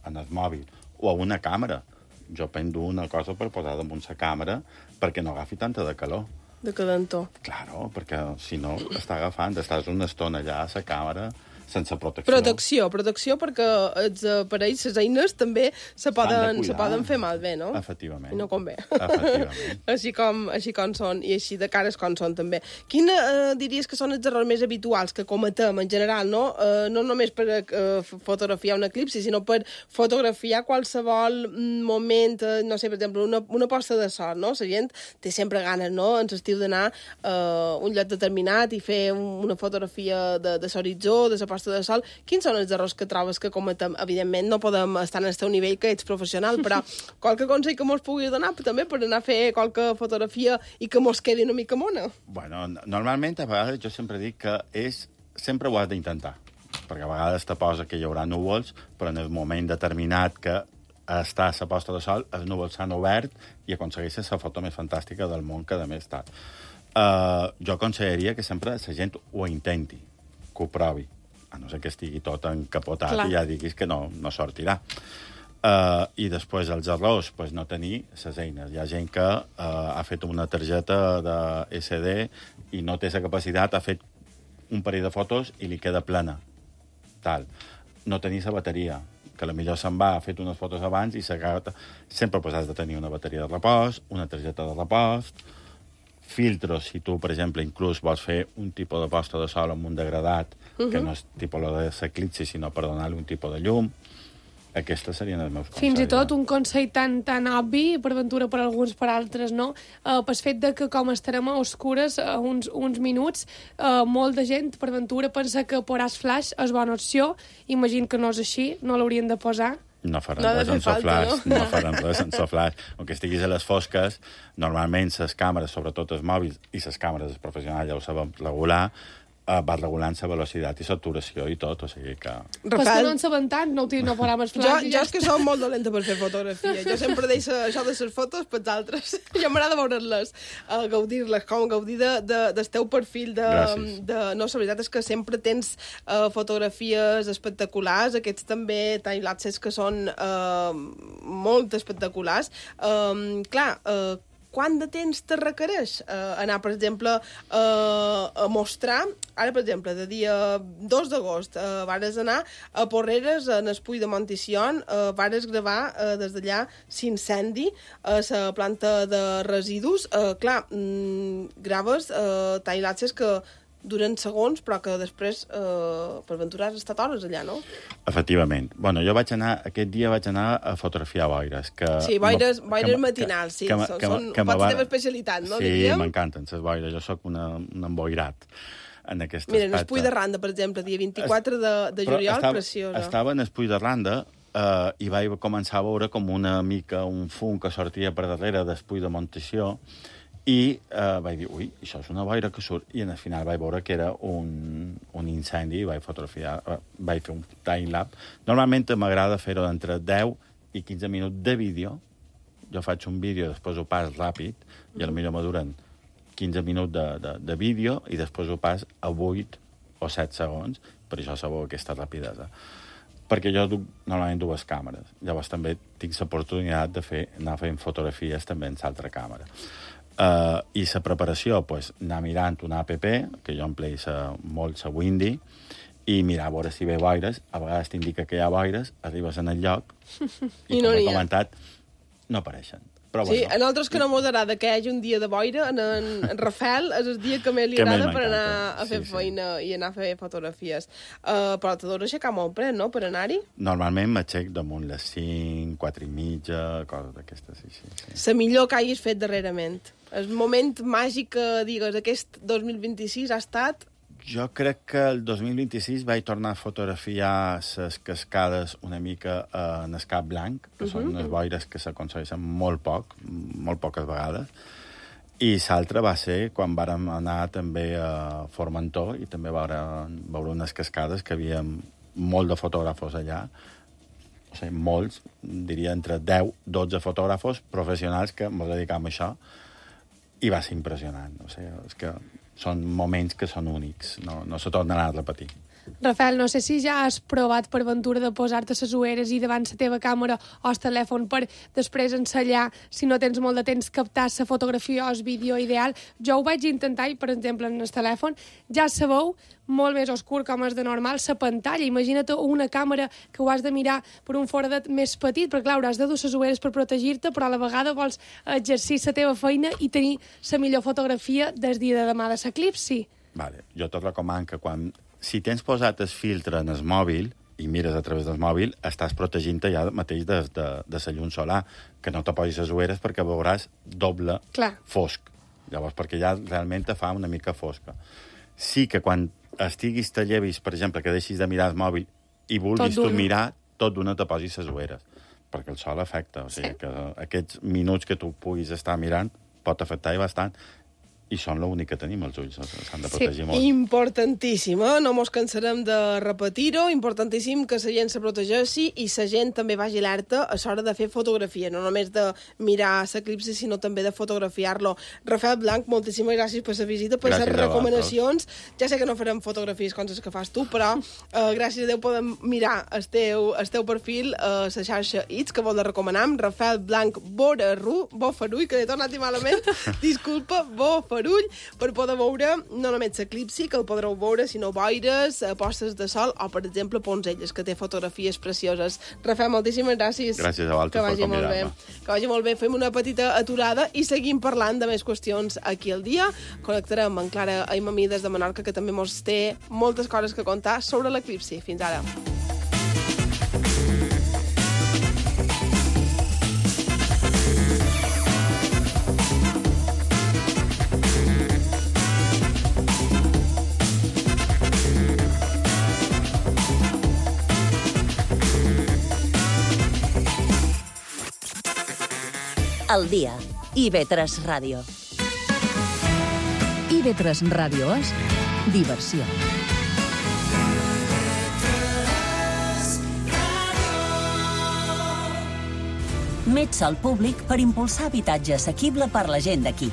en el mòbil o a una càmera. Jo prendo una cosa per posar damunt la càmera perquè no agafi tanta de calor. De cadentor. Claro, perquè si no està agafant, estàs una estona allà a la càmera sense protecció. Protecció perquè els aparells, les eines, també se poden fer malbé, no? Efectivament. I no convé. Efectivament. així com són, i així de cares com són, també. Quina diries que són els errors més habituals que cometem, en general, no? No només per fotografiar un eclipsi, sinó per fotografiar qualsevol moment, no sé, per exemple, una posta de sol, no? La gent té sempre ganes, no?, en l'estiu d'anar a un lloc determinat i fer una fotografia de l'horitzó, de la posta de sol. Quins són els errors que trobes que cometem? Evidentment no podem estar en el teu nivell que ets professional, però qualque consell que mos pugui donar també per anar a fer qualque fotografia i que mos quedi una mica mona? Bueno, normalment a vegades jo sempre dic que sempre ho has d'intentar, perquè a vegades te posa que hi haurà núvols, però en el moment determinat que està a la posta de sol, els núvols s'han obert i aconsegueixes la foto més fantàstica del món que a més està. Jo aconsellaria que sempre la gent ho intenti, que ho provi, a no ser que estigui tot encapotat i ja diguis que no sortirà. I després els errors, no tenir les eines. Hi ha gent que ha fet una targeta de SD i no té la capacitat, ha fet un parell de fotos i li queda plena. No tenir la bateria, que potser se'n va, ha fet unes fotos abans i sempre has de tenir una bateria de repòs, una targeta de repòs, filtros, si tu, per exemple, inclús vols fer un tipus de posta de sol amb un degradat, que no és tipus de l'eclipsi, sinó per donar-li un tipus de llum. Aquestes serien els meus consells. Fins i tot un consell tan obvi, per ventura per alguns, per altres, no? Pel fet de que com estarem a oscures uns minuts, molta gent, per ventura, pensa que posar flash és bona opció. Imagino que no és així, no l'haurien de posar. No faran res sense flash, no faran res sense flash. Aunque estiguis a les fosques, normalment les càmeres, sobretot els mòbils, i les càmeres professionals ja ho sabem regular, va regulant la velocitat i saturació i tot, o sigui que... Però és que no en sabem tant, no posarem el flash. Jo és que soc molt dolenta per fer fotografia. Jo sempre deixo això de les fotos per altres. Jo m'agrada veure-les, gaudir-les, com gaudir del teu perfil. No, la veritat és que sempre tens fotografies espectaculars, aquests també timelapses que són molt espectaculars. Clar, quant de temps te requereix anar, per exemple, a mostrar... Ara, per exemple, de dia 2 d'agost vares anar a Porreres, en el Puig de Montición, vares gravar des d'allà l'incendi a la planta de residus. Clar, graves timelapses que duren segons, però que després, per aventurar, has estat hores allà, no? Efectivament. Bueno, jo aquest dia vaig anar a fotografiar boires. Sí, boires matinals, sí. Són la teva especialitat, no? Sí, m'encanten les boires. Jo sóc un emboirat en aquest aspecte. Mira, en el Puig de Randa, per exemple, dia 24 de juliol, preciosa. Estava en el Puig de Randa i vaig començar a veure com una mica un fum que sortia per darrere del Puig de Montició i vaig dir, ui, això és una boira que surt. I al final vaig veure que era un incendi i vaig fotografiar, vaig fer un timelapse. Normalment m'agrada fer-ho d'entre 10 i 15 minuts de vídeo. Jo faig un vídeo, després ho pas ràpid, i potser me duren 15 minuts de vídeo i després ho pas a 8 o 7 segons, per això sabeu aquesta rapidesa. Perquè jo duc normalment 2 càmeres. Llavors també tinc l'oportunitat d'anar fent fotografies també en l'altra càmera. I la preparació, pues, anar mirant una app, que jo empleï molt la Windy, i mirar a veure si ve boires. A vegades t'indica que hi ha boires, arribes en el lloc, i no com he n'hi ha. comentat, no apareixen. Però, Sí, bueno, a nosaltres que no mos agrada que hi hagi un dia de boira, en Rafael és el dia que més li Que més agrada per m'encanta. anar a fer feina i anar a fer fotografies. Però t'adoro aixecar molt pres, no?, per anar-hi. normalment m'aixec damunt les 5, 4 i mitja, coses d'aquestes, sí. La millor que hagis fet darrerament. El moment màgic que digues aquest 2026 ha estat... Jo crec que el 2026 vaig tornar a fotografiar les cascades una mica en el Cap Blanc, que són unes boires que s'aconsegueixen molt poques vegades, i l'altre va ser quan vàrem anar també a Formentor i també veure unes cascades que hi havia molt de fotògrafos allà, o sigui, molts, diria entre 10-12 fotògrafos professionals que ens dedicam a això, i va ser impressionant. O sigui, és que són moments que són únics, no se tornaran a repetir. Rafael, no sé si ja has provat per ventura de posar-te les ulleres i davant la teva càmera o el telèfon per després ensenyar, si no tens molt de temps, captar la fotografia o el vídeo ideal. Jo ho vaig intentar i, per exemple, en el telèfon ja sabeu molt més oscur com és de normal la pantalla. Imagina't una càmera que ho has de mirar per un foradet més petit, perquè, clar, hauràs de dur les ulleres per protegir-te, però a la vegada vols exercir la teva feina i tenir la millor fotografia del dia de demà de l'eclipsi. Vale. Jo tot recomano que si tens posat el filtre en el mòbil i mires a través del mòbil, estàs protegint-te ja mateix de la llum solar, que no te posis les ulleres perquè veuràs doble fosc. Llavors, perquè ja realment te fa una mica fosca. Sí que quan estiguis te llevis, per exemple, que deixis de mirar el mòbil i vulguis tu mirar, tot d'una te posis les ulleres, perquè el sol afecta. O sigui, que aquests minuts que tu puguis estar mirant pot afectar i bastant, i són l'únic que tenim, els ulls, s'han de protegir molt. Importantíssim, no mos cansarem de repetir-ho, importantíssim que la gent se protegeixi i la gent també vagi alerta a l'hora de fer fotografia, no només de mirar l'eclipsi, sinó també de fotografiar-lo. Rafael Blanc, moltíssimes gràcies per la visita, per les recomanacions. Ja sé que no farem fotografies com les que fas tu, però gràcies a Déu podem mirar el teu perfil a la xarxa X, que vol de recomanar, Rafael Blanc Bofarull, que he tornat malament, disculpa, Bofarull, per poder veure no només l'eclipsi, que el podreu veure, sinó boires, postes de sol o, per exemple, Poncelles, que té fotografies precioses. Rafael, moltíssimes gràcies. Gràcies a vosaltres per convidar-me. Que vagi molt bé. Fem una petita aturada i seguim parlant de més qüestions aquí al dia. Connectarem amb Clara Aimamí des de Menorca, que també mos té moltes coses que contar sobre l'eclipsi. Fins ara. Al dia. IB3 Ràdio. IB3 Ràdio és diversió. Més sòl públic per impulsar habitatge assequible per la gent d'aquí.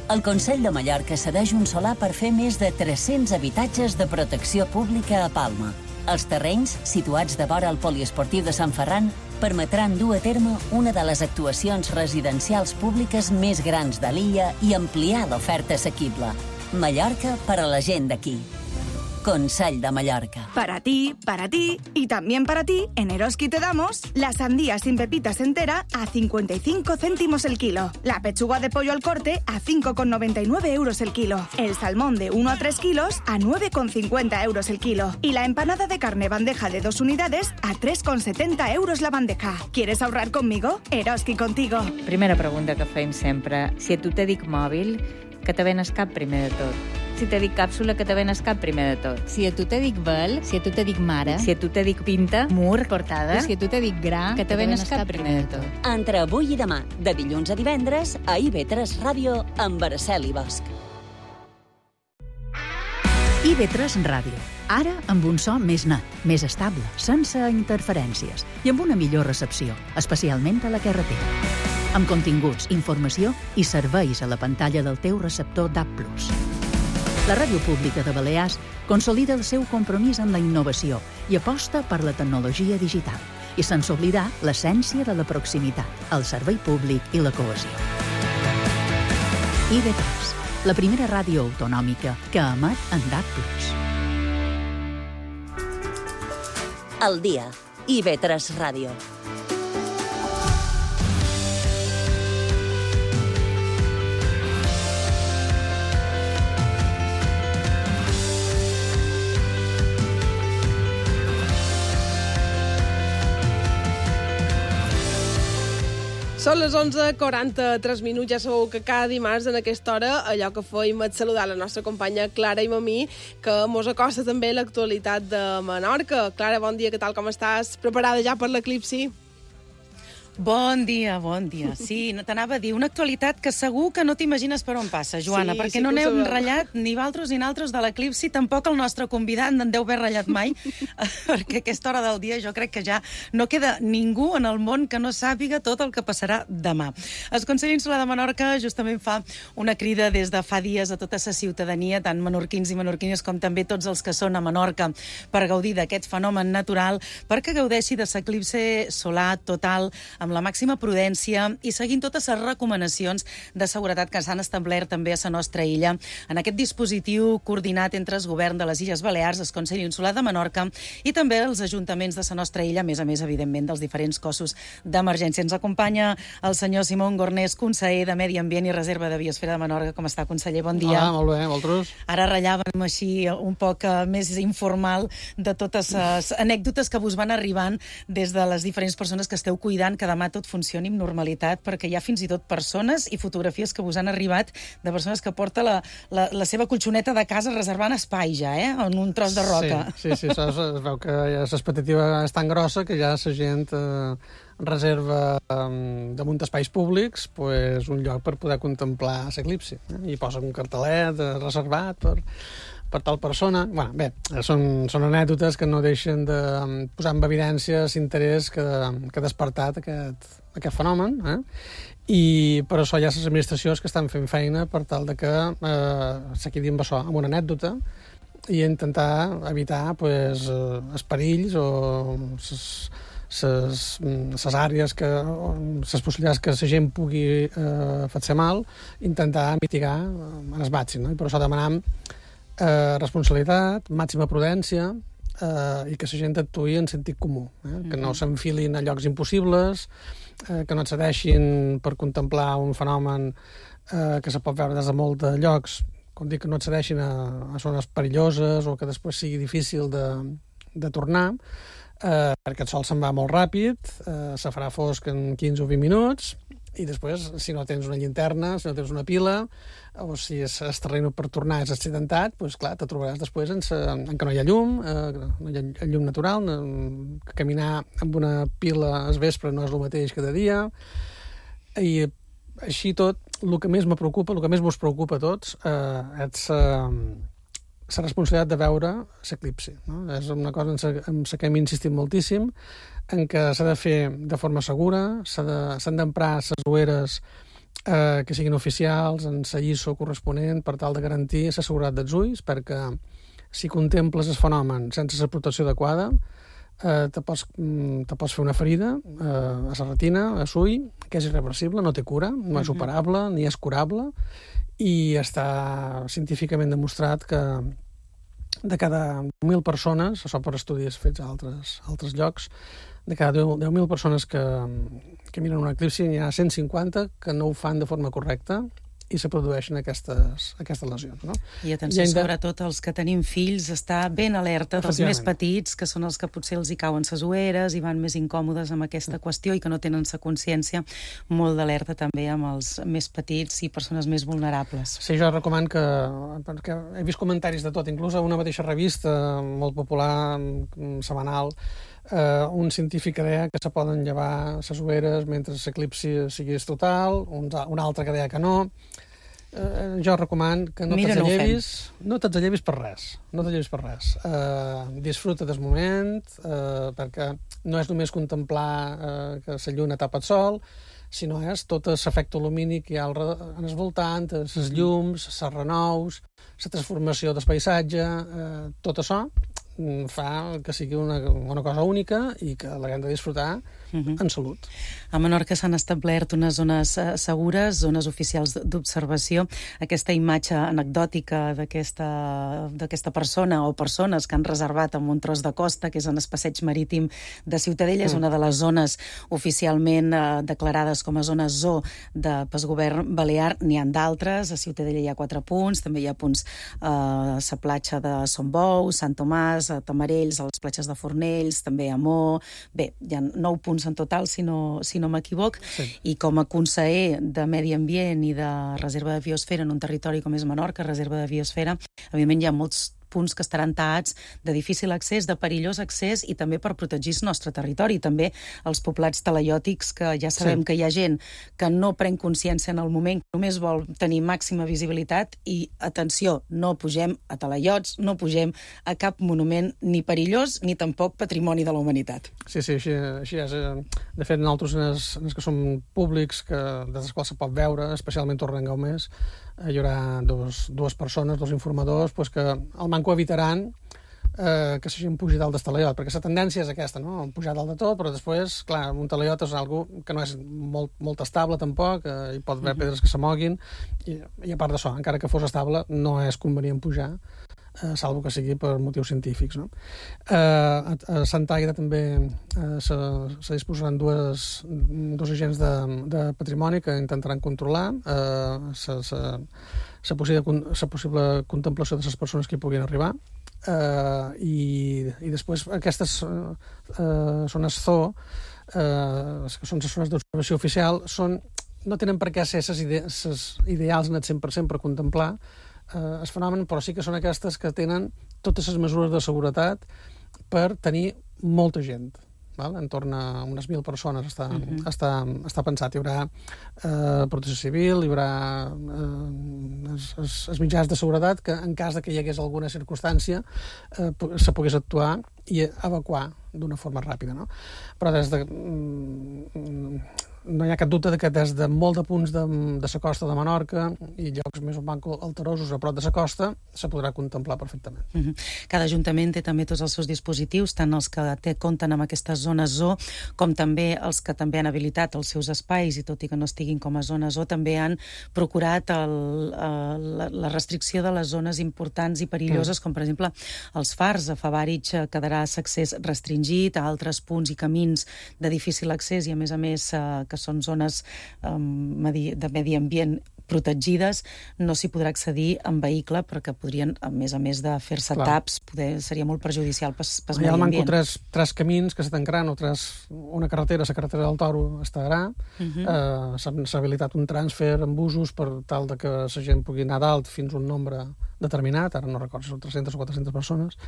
El Consell de Mallorca cedeix un solar per fer més de 300 habitatges de protecció pública a Palma. Els terrenys, situats de vora al poliesportiu de Sant Ferran, permetran dur a terme una de les actuacions residencials públiques més grans de l'illa i ampliar l'oferta assequible. Mallorca per a la gent d'aquí. Consell de Mallorca. Para ti y también para ti, en Eroski te damos la sandía sin pepitas entera a 55 céntimos el kilo, la pechuga de pollo al corte a 5,99 euros el kilo, el salmón de 1 a 3 kilos a 9,50 euros el kilo y la empanada de carne bandeja de 2 unidades a 3,70 euros la bandeja. ¿Quieres ahorrar conmigo? Eroski contigo. Primera pregunta que fem sempre. Si a tu te dic mòbil, que te venes cap primer de tot. Si te dic càpsula, que te venes cap primer de tot. Si a tu te dic vel, si a tu te dic mare, si a tu te dic pinta, mur, portada, i si a tu te dic gra, que te venes cap primer de tot. Entre avui i demà, de dilluns a divendres, a IB3 Ràdio, amb Araceli Bosch. IB3 Ràdio. Ara amb un so més net, més estable, sense interferències i amb una millor recepció, especialment a la carretera. Amb continguts, informació i serveis a la pantalla del teu receptor DAB+. La Ràdio Pública de Balears consolida el seu compromís amb la innovació i aposta per la tecnologia digital i sense oblidar l'essència de la proximitat, el servei públic i la cohesió. IB3, la primera ràdio autonòmica que emet en DAB+. El dia. IB3 Ràdio. Són les 11:43 minuts. Ja sabeu que cada dimarts en aquesta hora allò que fèiem és saludar la nostra companya Clara i Mamí, que mos acosta també l'actualitat de Menorca. Clara, bon dia, què tal, com estàs? Preparada ja per l'eclipsi? Bon dia, bon dia. Sí, t'anava a dir, una actualitat que segur que no t'imagines per on passa, Joana, Sí, perquè sí no que ho n'hem sabem. ratllat ni valtros ni naltros de l'eclipsi, tampoc el nostre convidat n'en deu haver ratllat mai, perquè a aquesta hora del dia jo crec que ja no queda ningú en el món que no sàpiga tot el que passarà demà. El Consell Insular de Menorca justament fa una crida des de fa dies a tota la ciutadania, tant menorquins i menorquines com també tots els que són a Menorca, per gaudir d'aquest fenomen natural, perquè gaudeixi de l'eclipsi solar total, amb la màxima prudència i seguint totes les recomanacions de seguretat que s'han establert també a la nostra illa. En aquest dispositiu coordinat entre el govern de les Illes Balears, el Consell Insular de Menorca i també els ajuntaments de la nostra illa, a més, evidentment, dels diferents cossos d'emergència. Ens acompanya el senyor Simón Gornés, conseller de Medi Ambient i Reserva de Biosfera de Menorca. Com està, conseller? Bon dia. Hola, molt bé, vosaltres? Ara ratllàvem així un poc més informal de totes les anècdotes que vos van arribant des de les diferents persones que esteu cuidant que demà tot funcioni amb normalitat, perquè hi ha fins i tot persones i fotografies que vos han arribat de persones que porta la seva colxoneta de casa reservant espai ja, en un tros de roca. Sí, es veu que l'expectativa és tan grossa que ja la gent reserva damunt espais públics un lloc per poder contemplar l'eclipsi. I posa un cartelet reservat per tal persona. Bé, són anècdotes que no deixen de posar en evidència l'interès que ha despertat aquest fenomen, i per això hi ha les administracions que estan fent feina per tal de que s'equidi amb això, amb una anècdota, i intentar evitar els perills o les àrees, les possibilitats que la gent pugui fer-se mal, intentar mitigar en el màxim. I per això demanem responsabilitat, màxima prudència, i que la gent actuï en sentit comú, que no s'enfilin a llocs impossibles, que no accedeixin per contemplar un fenomen que se pot veure des de molts de llocs, com dic, que no accedeixin a zones perilloses o que després sigui difícil de tornar, perquè el sol se'n va molt ràpid, se farà fosc en 15 o 20 minuts, i després, si no tens una llinterna, si no tens una pila, o si el terreny per tornar és accidentat, clar, te trobaràs després en que no hi ha llum, no hi ha llum natural, caminar amb una pila al vespre no és el mateix que de dia, i així tot, el que més me preocupa, el que més vos preocupa a tots, és la responsabilitat de veure l'eclipsi. És una cosa en la que hem insistit moltíssim, en què s'ha de fer de forma segura, s'han d'emprar les ulleres que siguin oficials, en la ISO corresponent, per tal de garantir la seguretat dels ulls, perquè si contemples el fenomen sense la protecció adequada, te pots fer una ferida a la retina, a l'ull, que és irreversible, no té cura, no és operable, ni és curable, i està científicament demostrat que de cada 10.000 persones, això per estudis fets a altres llocs, de cada 10.000 persones que miren un eclipsi, hi ha 150 que no ho fan de forma correcta i se produeixen aquestes lesions. No? I atenció, sobretot els que tenim fills, estar ben alerta dels més petits, que són els que potser els hi cauen ses ulleres i van més incòmodes amb aquesta qüestió i que no tenen la consciència, molt d'alerta també amb els més petits i persones més vulnerables. Sí, jo recomano perquè he vist comentaris de tot, inclús a una mateixa revista molt popular, setmanal, un científic que deia que se poden llevar les ulleres mentre l'eclipsi sigui total, un altre que deia que no. Jo recomano que no te'ls llevis per res. Disfruta del moment, perquè no és només contemplar que la lluna tapa el sol, sinó és tot l'efecte lumínic que hi ha en el voltant, les llums, les renous, la transformació del paisatge, tot això fa que sigui una cosa única i que l'haguem de disfrutar en salut. A Menorca s'han establert unes zones segures, zones oficials d'observació. Aquesta imatge anecdòtica d'aquesta persona o persones que han reservat en un tros de costa, que és en el passeig marítim de Ciutadella, és una de les zones oficialment declarades com a zona zoo pel govern balear. N'hi ha d'altres, a Ciutadella hi ha 4 punts, també hi ha punts a la platja de Son Bou, Sant Tomàs, a Tamarells, a les platges de Fornells, també a Mó. Bé, hi ha 9 punts en total, si no m'equivoc, i com a conseller de Medi Ambient i de Reserva de Biosfera en un territori com és Menorca, Reserva de Biosfera, evidentment hi ha molts punts que estaran taats de difícil accés, de perillós accés, i també per protegir el nostre territori. També els poblats talaiòtics, que ja sabem que hi ha gent que no pren consciència en el moment, que només vol tenir màxima visibilitat, i, atenció, no pugem a talaiots, no pugem a cap monument ni perillós ni tampoc patrimoni de la humanitat. Sí, així és. De fet, nosaltres, en els que som públics, des dels quals se pot veure, especialment Torrent Gaumés, hi haurà dues persones, 2 informadors, que el manco evitaran que s'hagin pujat dalt del talaiot, perquè la tendència és aquesta, no? Pujar dalt de tot, però després, clar, un talaiot és algo que no és molt estable tampoc, hi pot haver pedres que s'amoguin, i a part d'això, encara que fos estable, no és convenient pujar, salvo que sigui per motius científics, no? A Sant Aire també se disposaran dos agents de patrimoni que intentaran controlar la possible contemplació de les persones que hi puguin arribar, i després aquestes zones zoo, que són les zones d'observació oficial, no tenen per què ser les ideals net 100% per contemplar el fenomen, però sí que són aquestes que tenen totes les mesures de seguretat per tenir molta gent. Entorn a unes 1.000 persones està pensat. Hi haurà protecció civil, hi haurà els mitjans de seguretat que, en cas que hi hagués alguna circumstància, se pogués actuar i evacuar d'una forma ràpida. Però no hi ha cap dubte que des de molt de punts de la costa de Menorca i llocs més alterosos a prop de la costa se podrà contemplar perfectament. Cada ajuntament té també tots els seus dispositius, tant els que compten amb aquestes zones zoo, com també els que també han habilitat els seus espais, i tot i que no estiguin com a zones zoo, també han procurat la restricció de les zones importants i perilloses, com per exemple els fars. A Favarich quedarà l'accés restringit, a altres punts i camins de difícil accés, i a més que són zones de medi ambient protegides, no s'hi podrà accedir en vehicle, perquè podrien, a més de fer-se taps, seria molt perjudicial pel medi ambient. Hi ha tres camins que se tancaran, una carretera, la carretera del Toro estarà, s'ha habilitat un transfer amb busos per tal que la gent pugui anar dalt fins a un nombre determinat, ara no recordo si són 300 o 400 persones,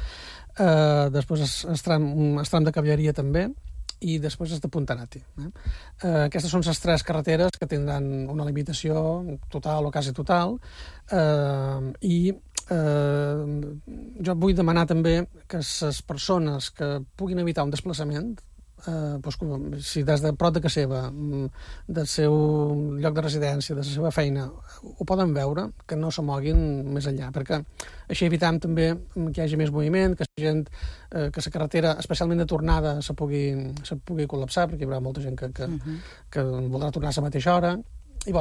després el tram de cavalleria també, i després és de Puntanati. Aquestes són les 3 carreteres que tindran una limitació total o quasi total, i jo vull demanar també que les persones que puguin evitar un desplaçament, si des de prop de casa seva, del seu lloc de residència, de la seva feina, ho poden veure, que no s'amoguin més enllà, perquè així evitam també que hi hagi més moviment, que la carretera, especialment de tornada, se pugui col·lapsar, perquè hi haurà molta gent que voldrà tornar a la mateixa hora. I,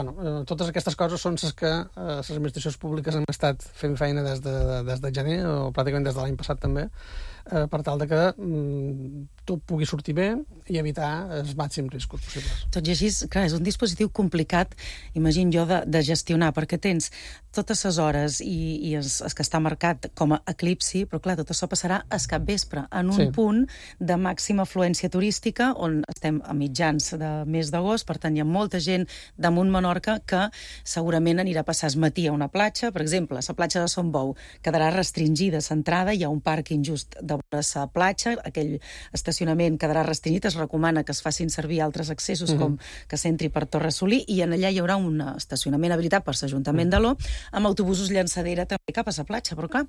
totes aquestes coses són les que les administracions públiques han estat fent feina des de gener, o pràcticament des de l'any passat també, per tal que tot pugui sortir bé i evitar els màxims riscos possibles. Tot i així, clar, és un dispositiu complicat, imagino jo, de gestionar, perquè tens totes les hores i el que està marcat com a eclipsi, però clar, tot això passarà al capvespre, en un punt de màxima afluència turística, on estem a mitjans de mes d'agost, per tant hi ha molta gent damunt Menorca que segurament anirà a passar el matí a una platja, per exemple, la platja de Son Bou quedarà restringida l'entrada, hi ha un pàrquing just de vora la platja, aquell estacionament quedarà restringit, es recomana que es facin servir altres accessos com que s'entri per Torre Solí, i en allà hi haurà un estacionament habilitat per l'Ajuntament d'Aló amb autobusos llançadera també cap a la platja, però clar,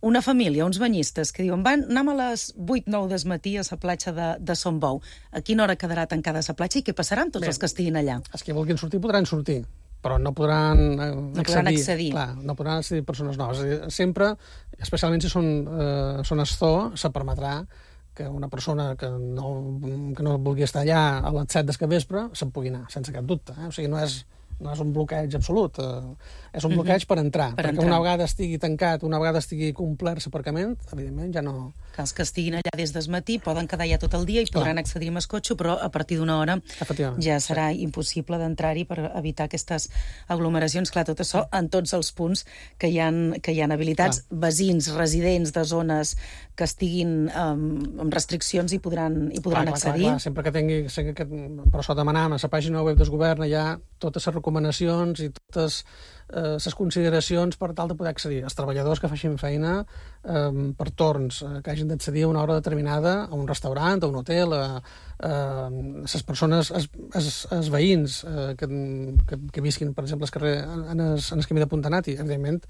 una família, uns banyistes que diuen anem a les 8-9 del matí a la platja de Son Bou, a quina hora quedarà tancada la platja i què passarà amb tots els que estiguin allà? Els que vulguin sortir podran sortir, però no podran accedir. Clar, no podran accedir persones noves. Sempre, especialment si són zones zoo, se permetrà que que una persona que no vulgui estar allà a les 7 del capvespre se'n pugui anar, sense cap dubte. O sigui, no és un bloqueig absolut, és un bloqueig per entrar, perquè una vegada estigui tancat, una vegada estigui complert l'aparcament, evidentment ja no... Que els que estiguin allà des del matí poden quedar ja tot el dia i podran accedir amb el cotxe, però a partir d'una hora ja serà impossible d'entrar-hi per evitar aquestes aglomeracions. Clar, tot això en tots els punts que hi ha habilitats. Veïns, residents de zones que estiguin amb restriccions hi podran accedir. Clar, sempre que tingui... Per això demanàvem a la pàgina web del govern hi ha totes les recomanacions i totes les consideracions per tal de poder accedir. Els treballadors que facin feina per torns, que hagin d'accedir a una hora determinada a un restaurant, a un hotel, les persones, els veïns que visquin, per exemple, en el camí de Puntanati, evidentment,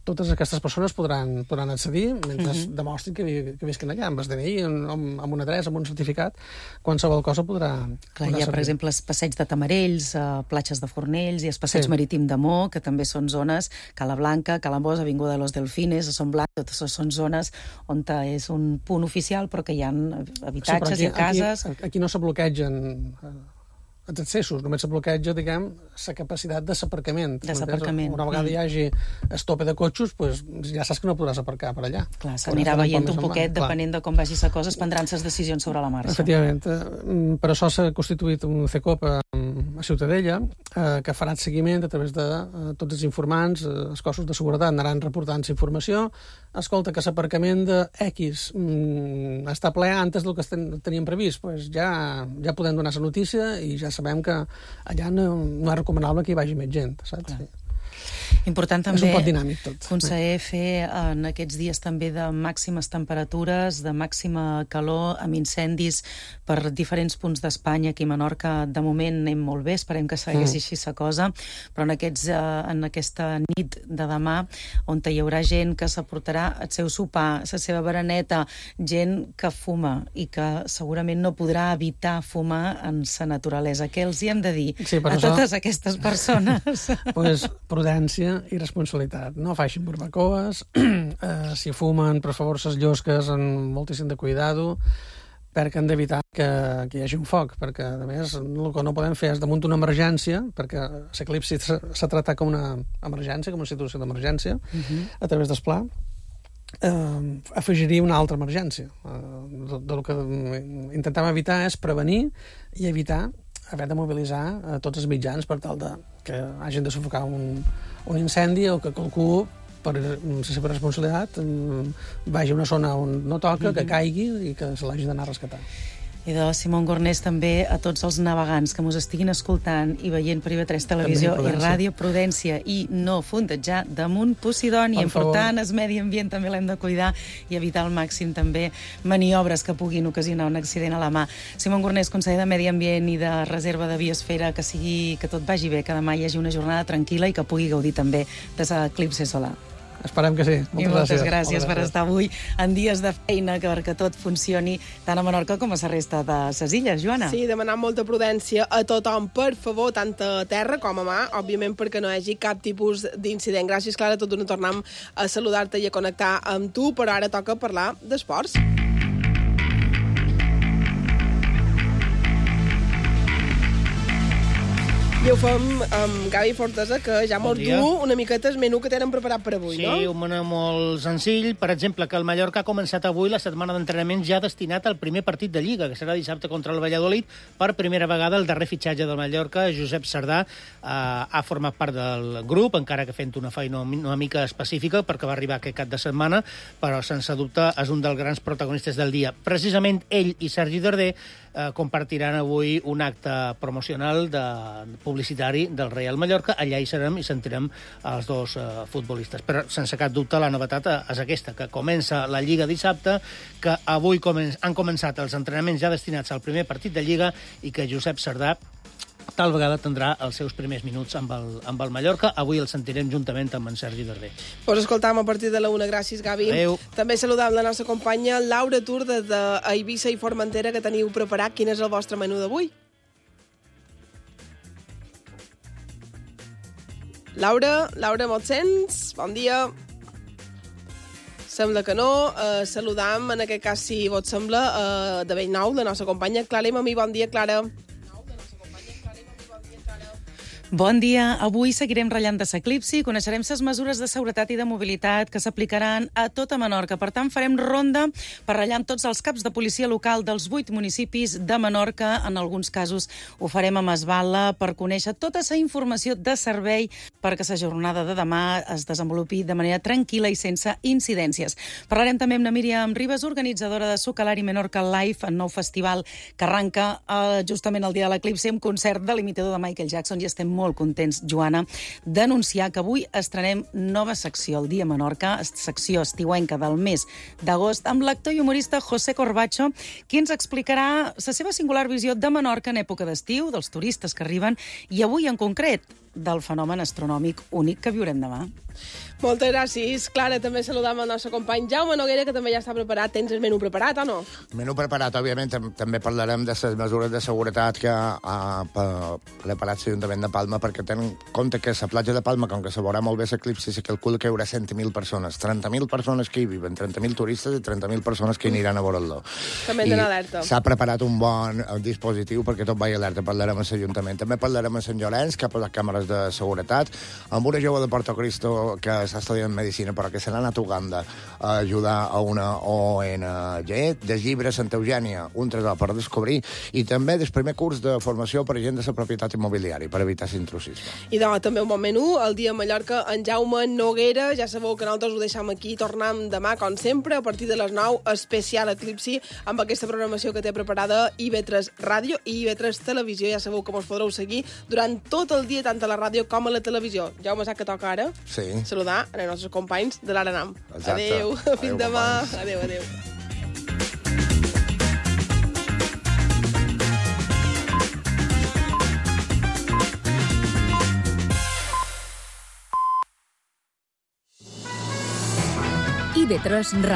totes aquestes persones podran accedir mentre demostrin que visquen allà, amb el DNI, amb una adreça, amb un certificat, qualsevol cosa podrà... Clar, hi ha, per exemple, els passeig de Tamarells, platges de Fornells i el passeig marítim de Mo, que també són zones, Cala Blanca, Calambós, Avinguda de los Delfines, Son Blanc, totes són zones on és un punt oficial però que hi ha habitatges i cases... Aquí no se bloquegen els accessos, només se bloqueja, diguem, la capacitat de l'aparcament. Una vegada hi hagi el tope de cotxes, ja saps que no podràs aparcar per allà. Clar, s'anirà veient un poquet, depenent de com vagi la cosa, es prendran les decisions sobre la marxa. Efectivament. Per això s'ha constituït un CECOP a Ciutadella, que farà el seguiment a través de tots els informants, els cossos de seguretat anaran reportant la informació. Escolta, que l'aparcament de X està ple antes del que teníem previst, ja podem donar la notícia i ja sabem que allà no és recomanable que hi vagi més gent, saps? Sí. Important també, és un pot dinàmic tot. Conseller, fer en aquests dies també de màximes temperatures, de màxima calor, amb incendis per diferents punts d'Espanya. Aquí a Menorca, de moment, anem molt bé, esperem que segueixi així la cosa, però en aquesta nit de demà, on hi haurà gent que s'aportarà el seu sopar, la seva bereneta, gent que fuma i que segurament no podrà evitar fumar en la naturalesa. Què els hi hem de dir a totes aquestes persones? Prudència i responsabilitat. No facin barbacoes, si fumen, per favor, ses llosques amb moltíssim de cuidado, perquè han d'evitar que hi hagi un foc, perquè, a més, el que no podem fer és damunt d'una emergència, perquè l'eclipsi s'ha tractat com una emergència, com una situació d'emergència, a través del pla, afegiria una altra emergència. El que intentem evitar és prevenir i evitar haver de mobilitzar tots els mitjans per tal que hagin de sufocar un incendi o que qualcú, per la seva responsabilitat, vagi a una zona on no toca, que caigui i que se l'hagi d'anar a rescatar. I de Simón Gornés també a tots els navegants que mos estiguin escoltant i veient per IB3 Televisió i Ràdio, prudència i no fondejar damunt Posidònia. Important, el medi ambient també l'hem de cuidar i evitar al màxim també maniobres que puguin ocasionar un accident a la mà. Simón Gornés, conseller de Medi Ambient i de Reserva de Biosfera, que tot vagi bé, que demà hi hagi una jornada tranquil·la i que pugui gaudir també de l'eclipsi solar. Esperem que sí. Moltes gràcies per estar avui en dies de feina, perquè tot funcioni tant a Menorca com a la resta de les illes, Joana. Sí, demanar molta prudència a tothom, per favor, tant a terra com a mà, òbviament perquè no hi hagi cap tipus d'incident. Gràcies, Clara, tot d'una tornem a saludar-te i a connectar amb tu, però ara toca parlar d'esports. I ho fem amb Gavi Fortesa, que ja mos du una miqueta el menú que tenen preparat per avui, no? Sí, un menú molt senzill. Per exemple, que el Mallorca ha començat avui la setmana d'entrenament ja destinat al primer partit de Lliga, que serà dissabte contra el Valladolid. Per primera vegada, el darrer fitxatge del Mallorca, Josep Sardà, ha format part del grup, encara que fent una feina una mica específica, perquè va arribar aquest cap de setmana, però sense dubte és un dels grans protagonistes del dia. Precisament ell i Sergi Darder compartiran avui un acte promocional publicitari del Real Mallorca. Allà hi serem i sentirem els dos futbolistes. Però sense cap dubte la novetat és aquesta, que comença la Lliga dissabte, que avui han començat els entrenaments ja destinats al primer partit de Lliga i que Josep Sardà tal vegada tindrà els seus primers minuts amb el Mallorca. Avui el sentirem juntament amb en Sergi Darder. Pues escoltam a partir de la 1. Gràcies, Gavi. Adéu. També saludam la nostra companya Laura Tur d'Eivissa i Formentera, que teniu preparat. Quin és el vostre menú d'avui? Laura, me'ls sents? Bon dia. Sembla que no. Saludam, en aquest cas, si vos sembla, de Bellnou, la nostra companya Clara Mamí. Bon dia, Clara. Bon dia. Avui seguirem ratllant de s'eclipsi i coneixerem les mesures de seguretat i de mobilitat que s'aplicaran a tota Menorca. Per tant, farem ronda per ratllar amb tots els caps de policia local dels 8 municipis de Menorca. En alguns casos ho farem amb esbala per conèixer tota la informació de servei perquè la jornada de demà es desenvolupi de manera tranquil·la i sense incidències. Parlarem també amb la Míriam Ribas, organitzadora de Sucalari Menorca Live, el nou festival que arranca justament el dia de l'eclipsi amb concert de l'imitador de Michael Jackson, i estem molt contents, Joana, d'anunciar que avui estrenem nova secció al Dia Menorca, secció estiuenca del mes d'agost, amb l'actor i humorista José Corbacho, qui ens explicarà la seva singular visió de Menorca en època d'estiu, dels turistes que arriben, i avui en concret del fenomen astronòmic únic que viurem demà. Moltes gràcies, Clara. També saludam el nostre company Jaume Noguera, que també ja està preparat. Tens el menú preparat, o no? Menú preparat, òbviament. També parlarem de les mesures de seguretat que ha preparat l'Ajuntament de Palma, perquè tenen en compte que la platja de Palma, com que se veurà molt bé l'eclipsi, se calcula que hi haurà 100.000 persones. 30.000 persones que hi viven, 30.000 turistes i 30.000 persones que hi aniran a veure-lo. També hem d'anar alerta. S'ha preparat un bon dispositiu perquè tot vagi alerta. Parlarem amb l'Ajuntament. També parlarem amb Sant Llorenç, que ha posat càmeres de seguretat, amb una jove de Porto Cristo que s'ha estudiat medicina, però que se n'ha anat a Uganda a ajudar a una ONG, de llibre Santa Eugènia, un tresor per descobrir, i també del primer curs de formació per a gent de la propietat immobiliària, per evitar l'intrusisme. I també un bon menú, el dia a Mallorca, en Jaume Noguera. Ja sabeu que nosaltres ho deixem aquí, tornem demà, com sempre, a partir de les 9, especial Eclipsi, amb aquesta programació que té preparada IB3 Ràdio i IB3 Televisió. Ja sabeu que us podreu seguir durant tot el dia, tant a la ràdio com a la televisió. Jaume, sap que toca ara? Sí. Saludar els nostres companys de l'Aranam. Exacte. Adéu, fins demà. Adéu, adéu. IB3 Ràdio.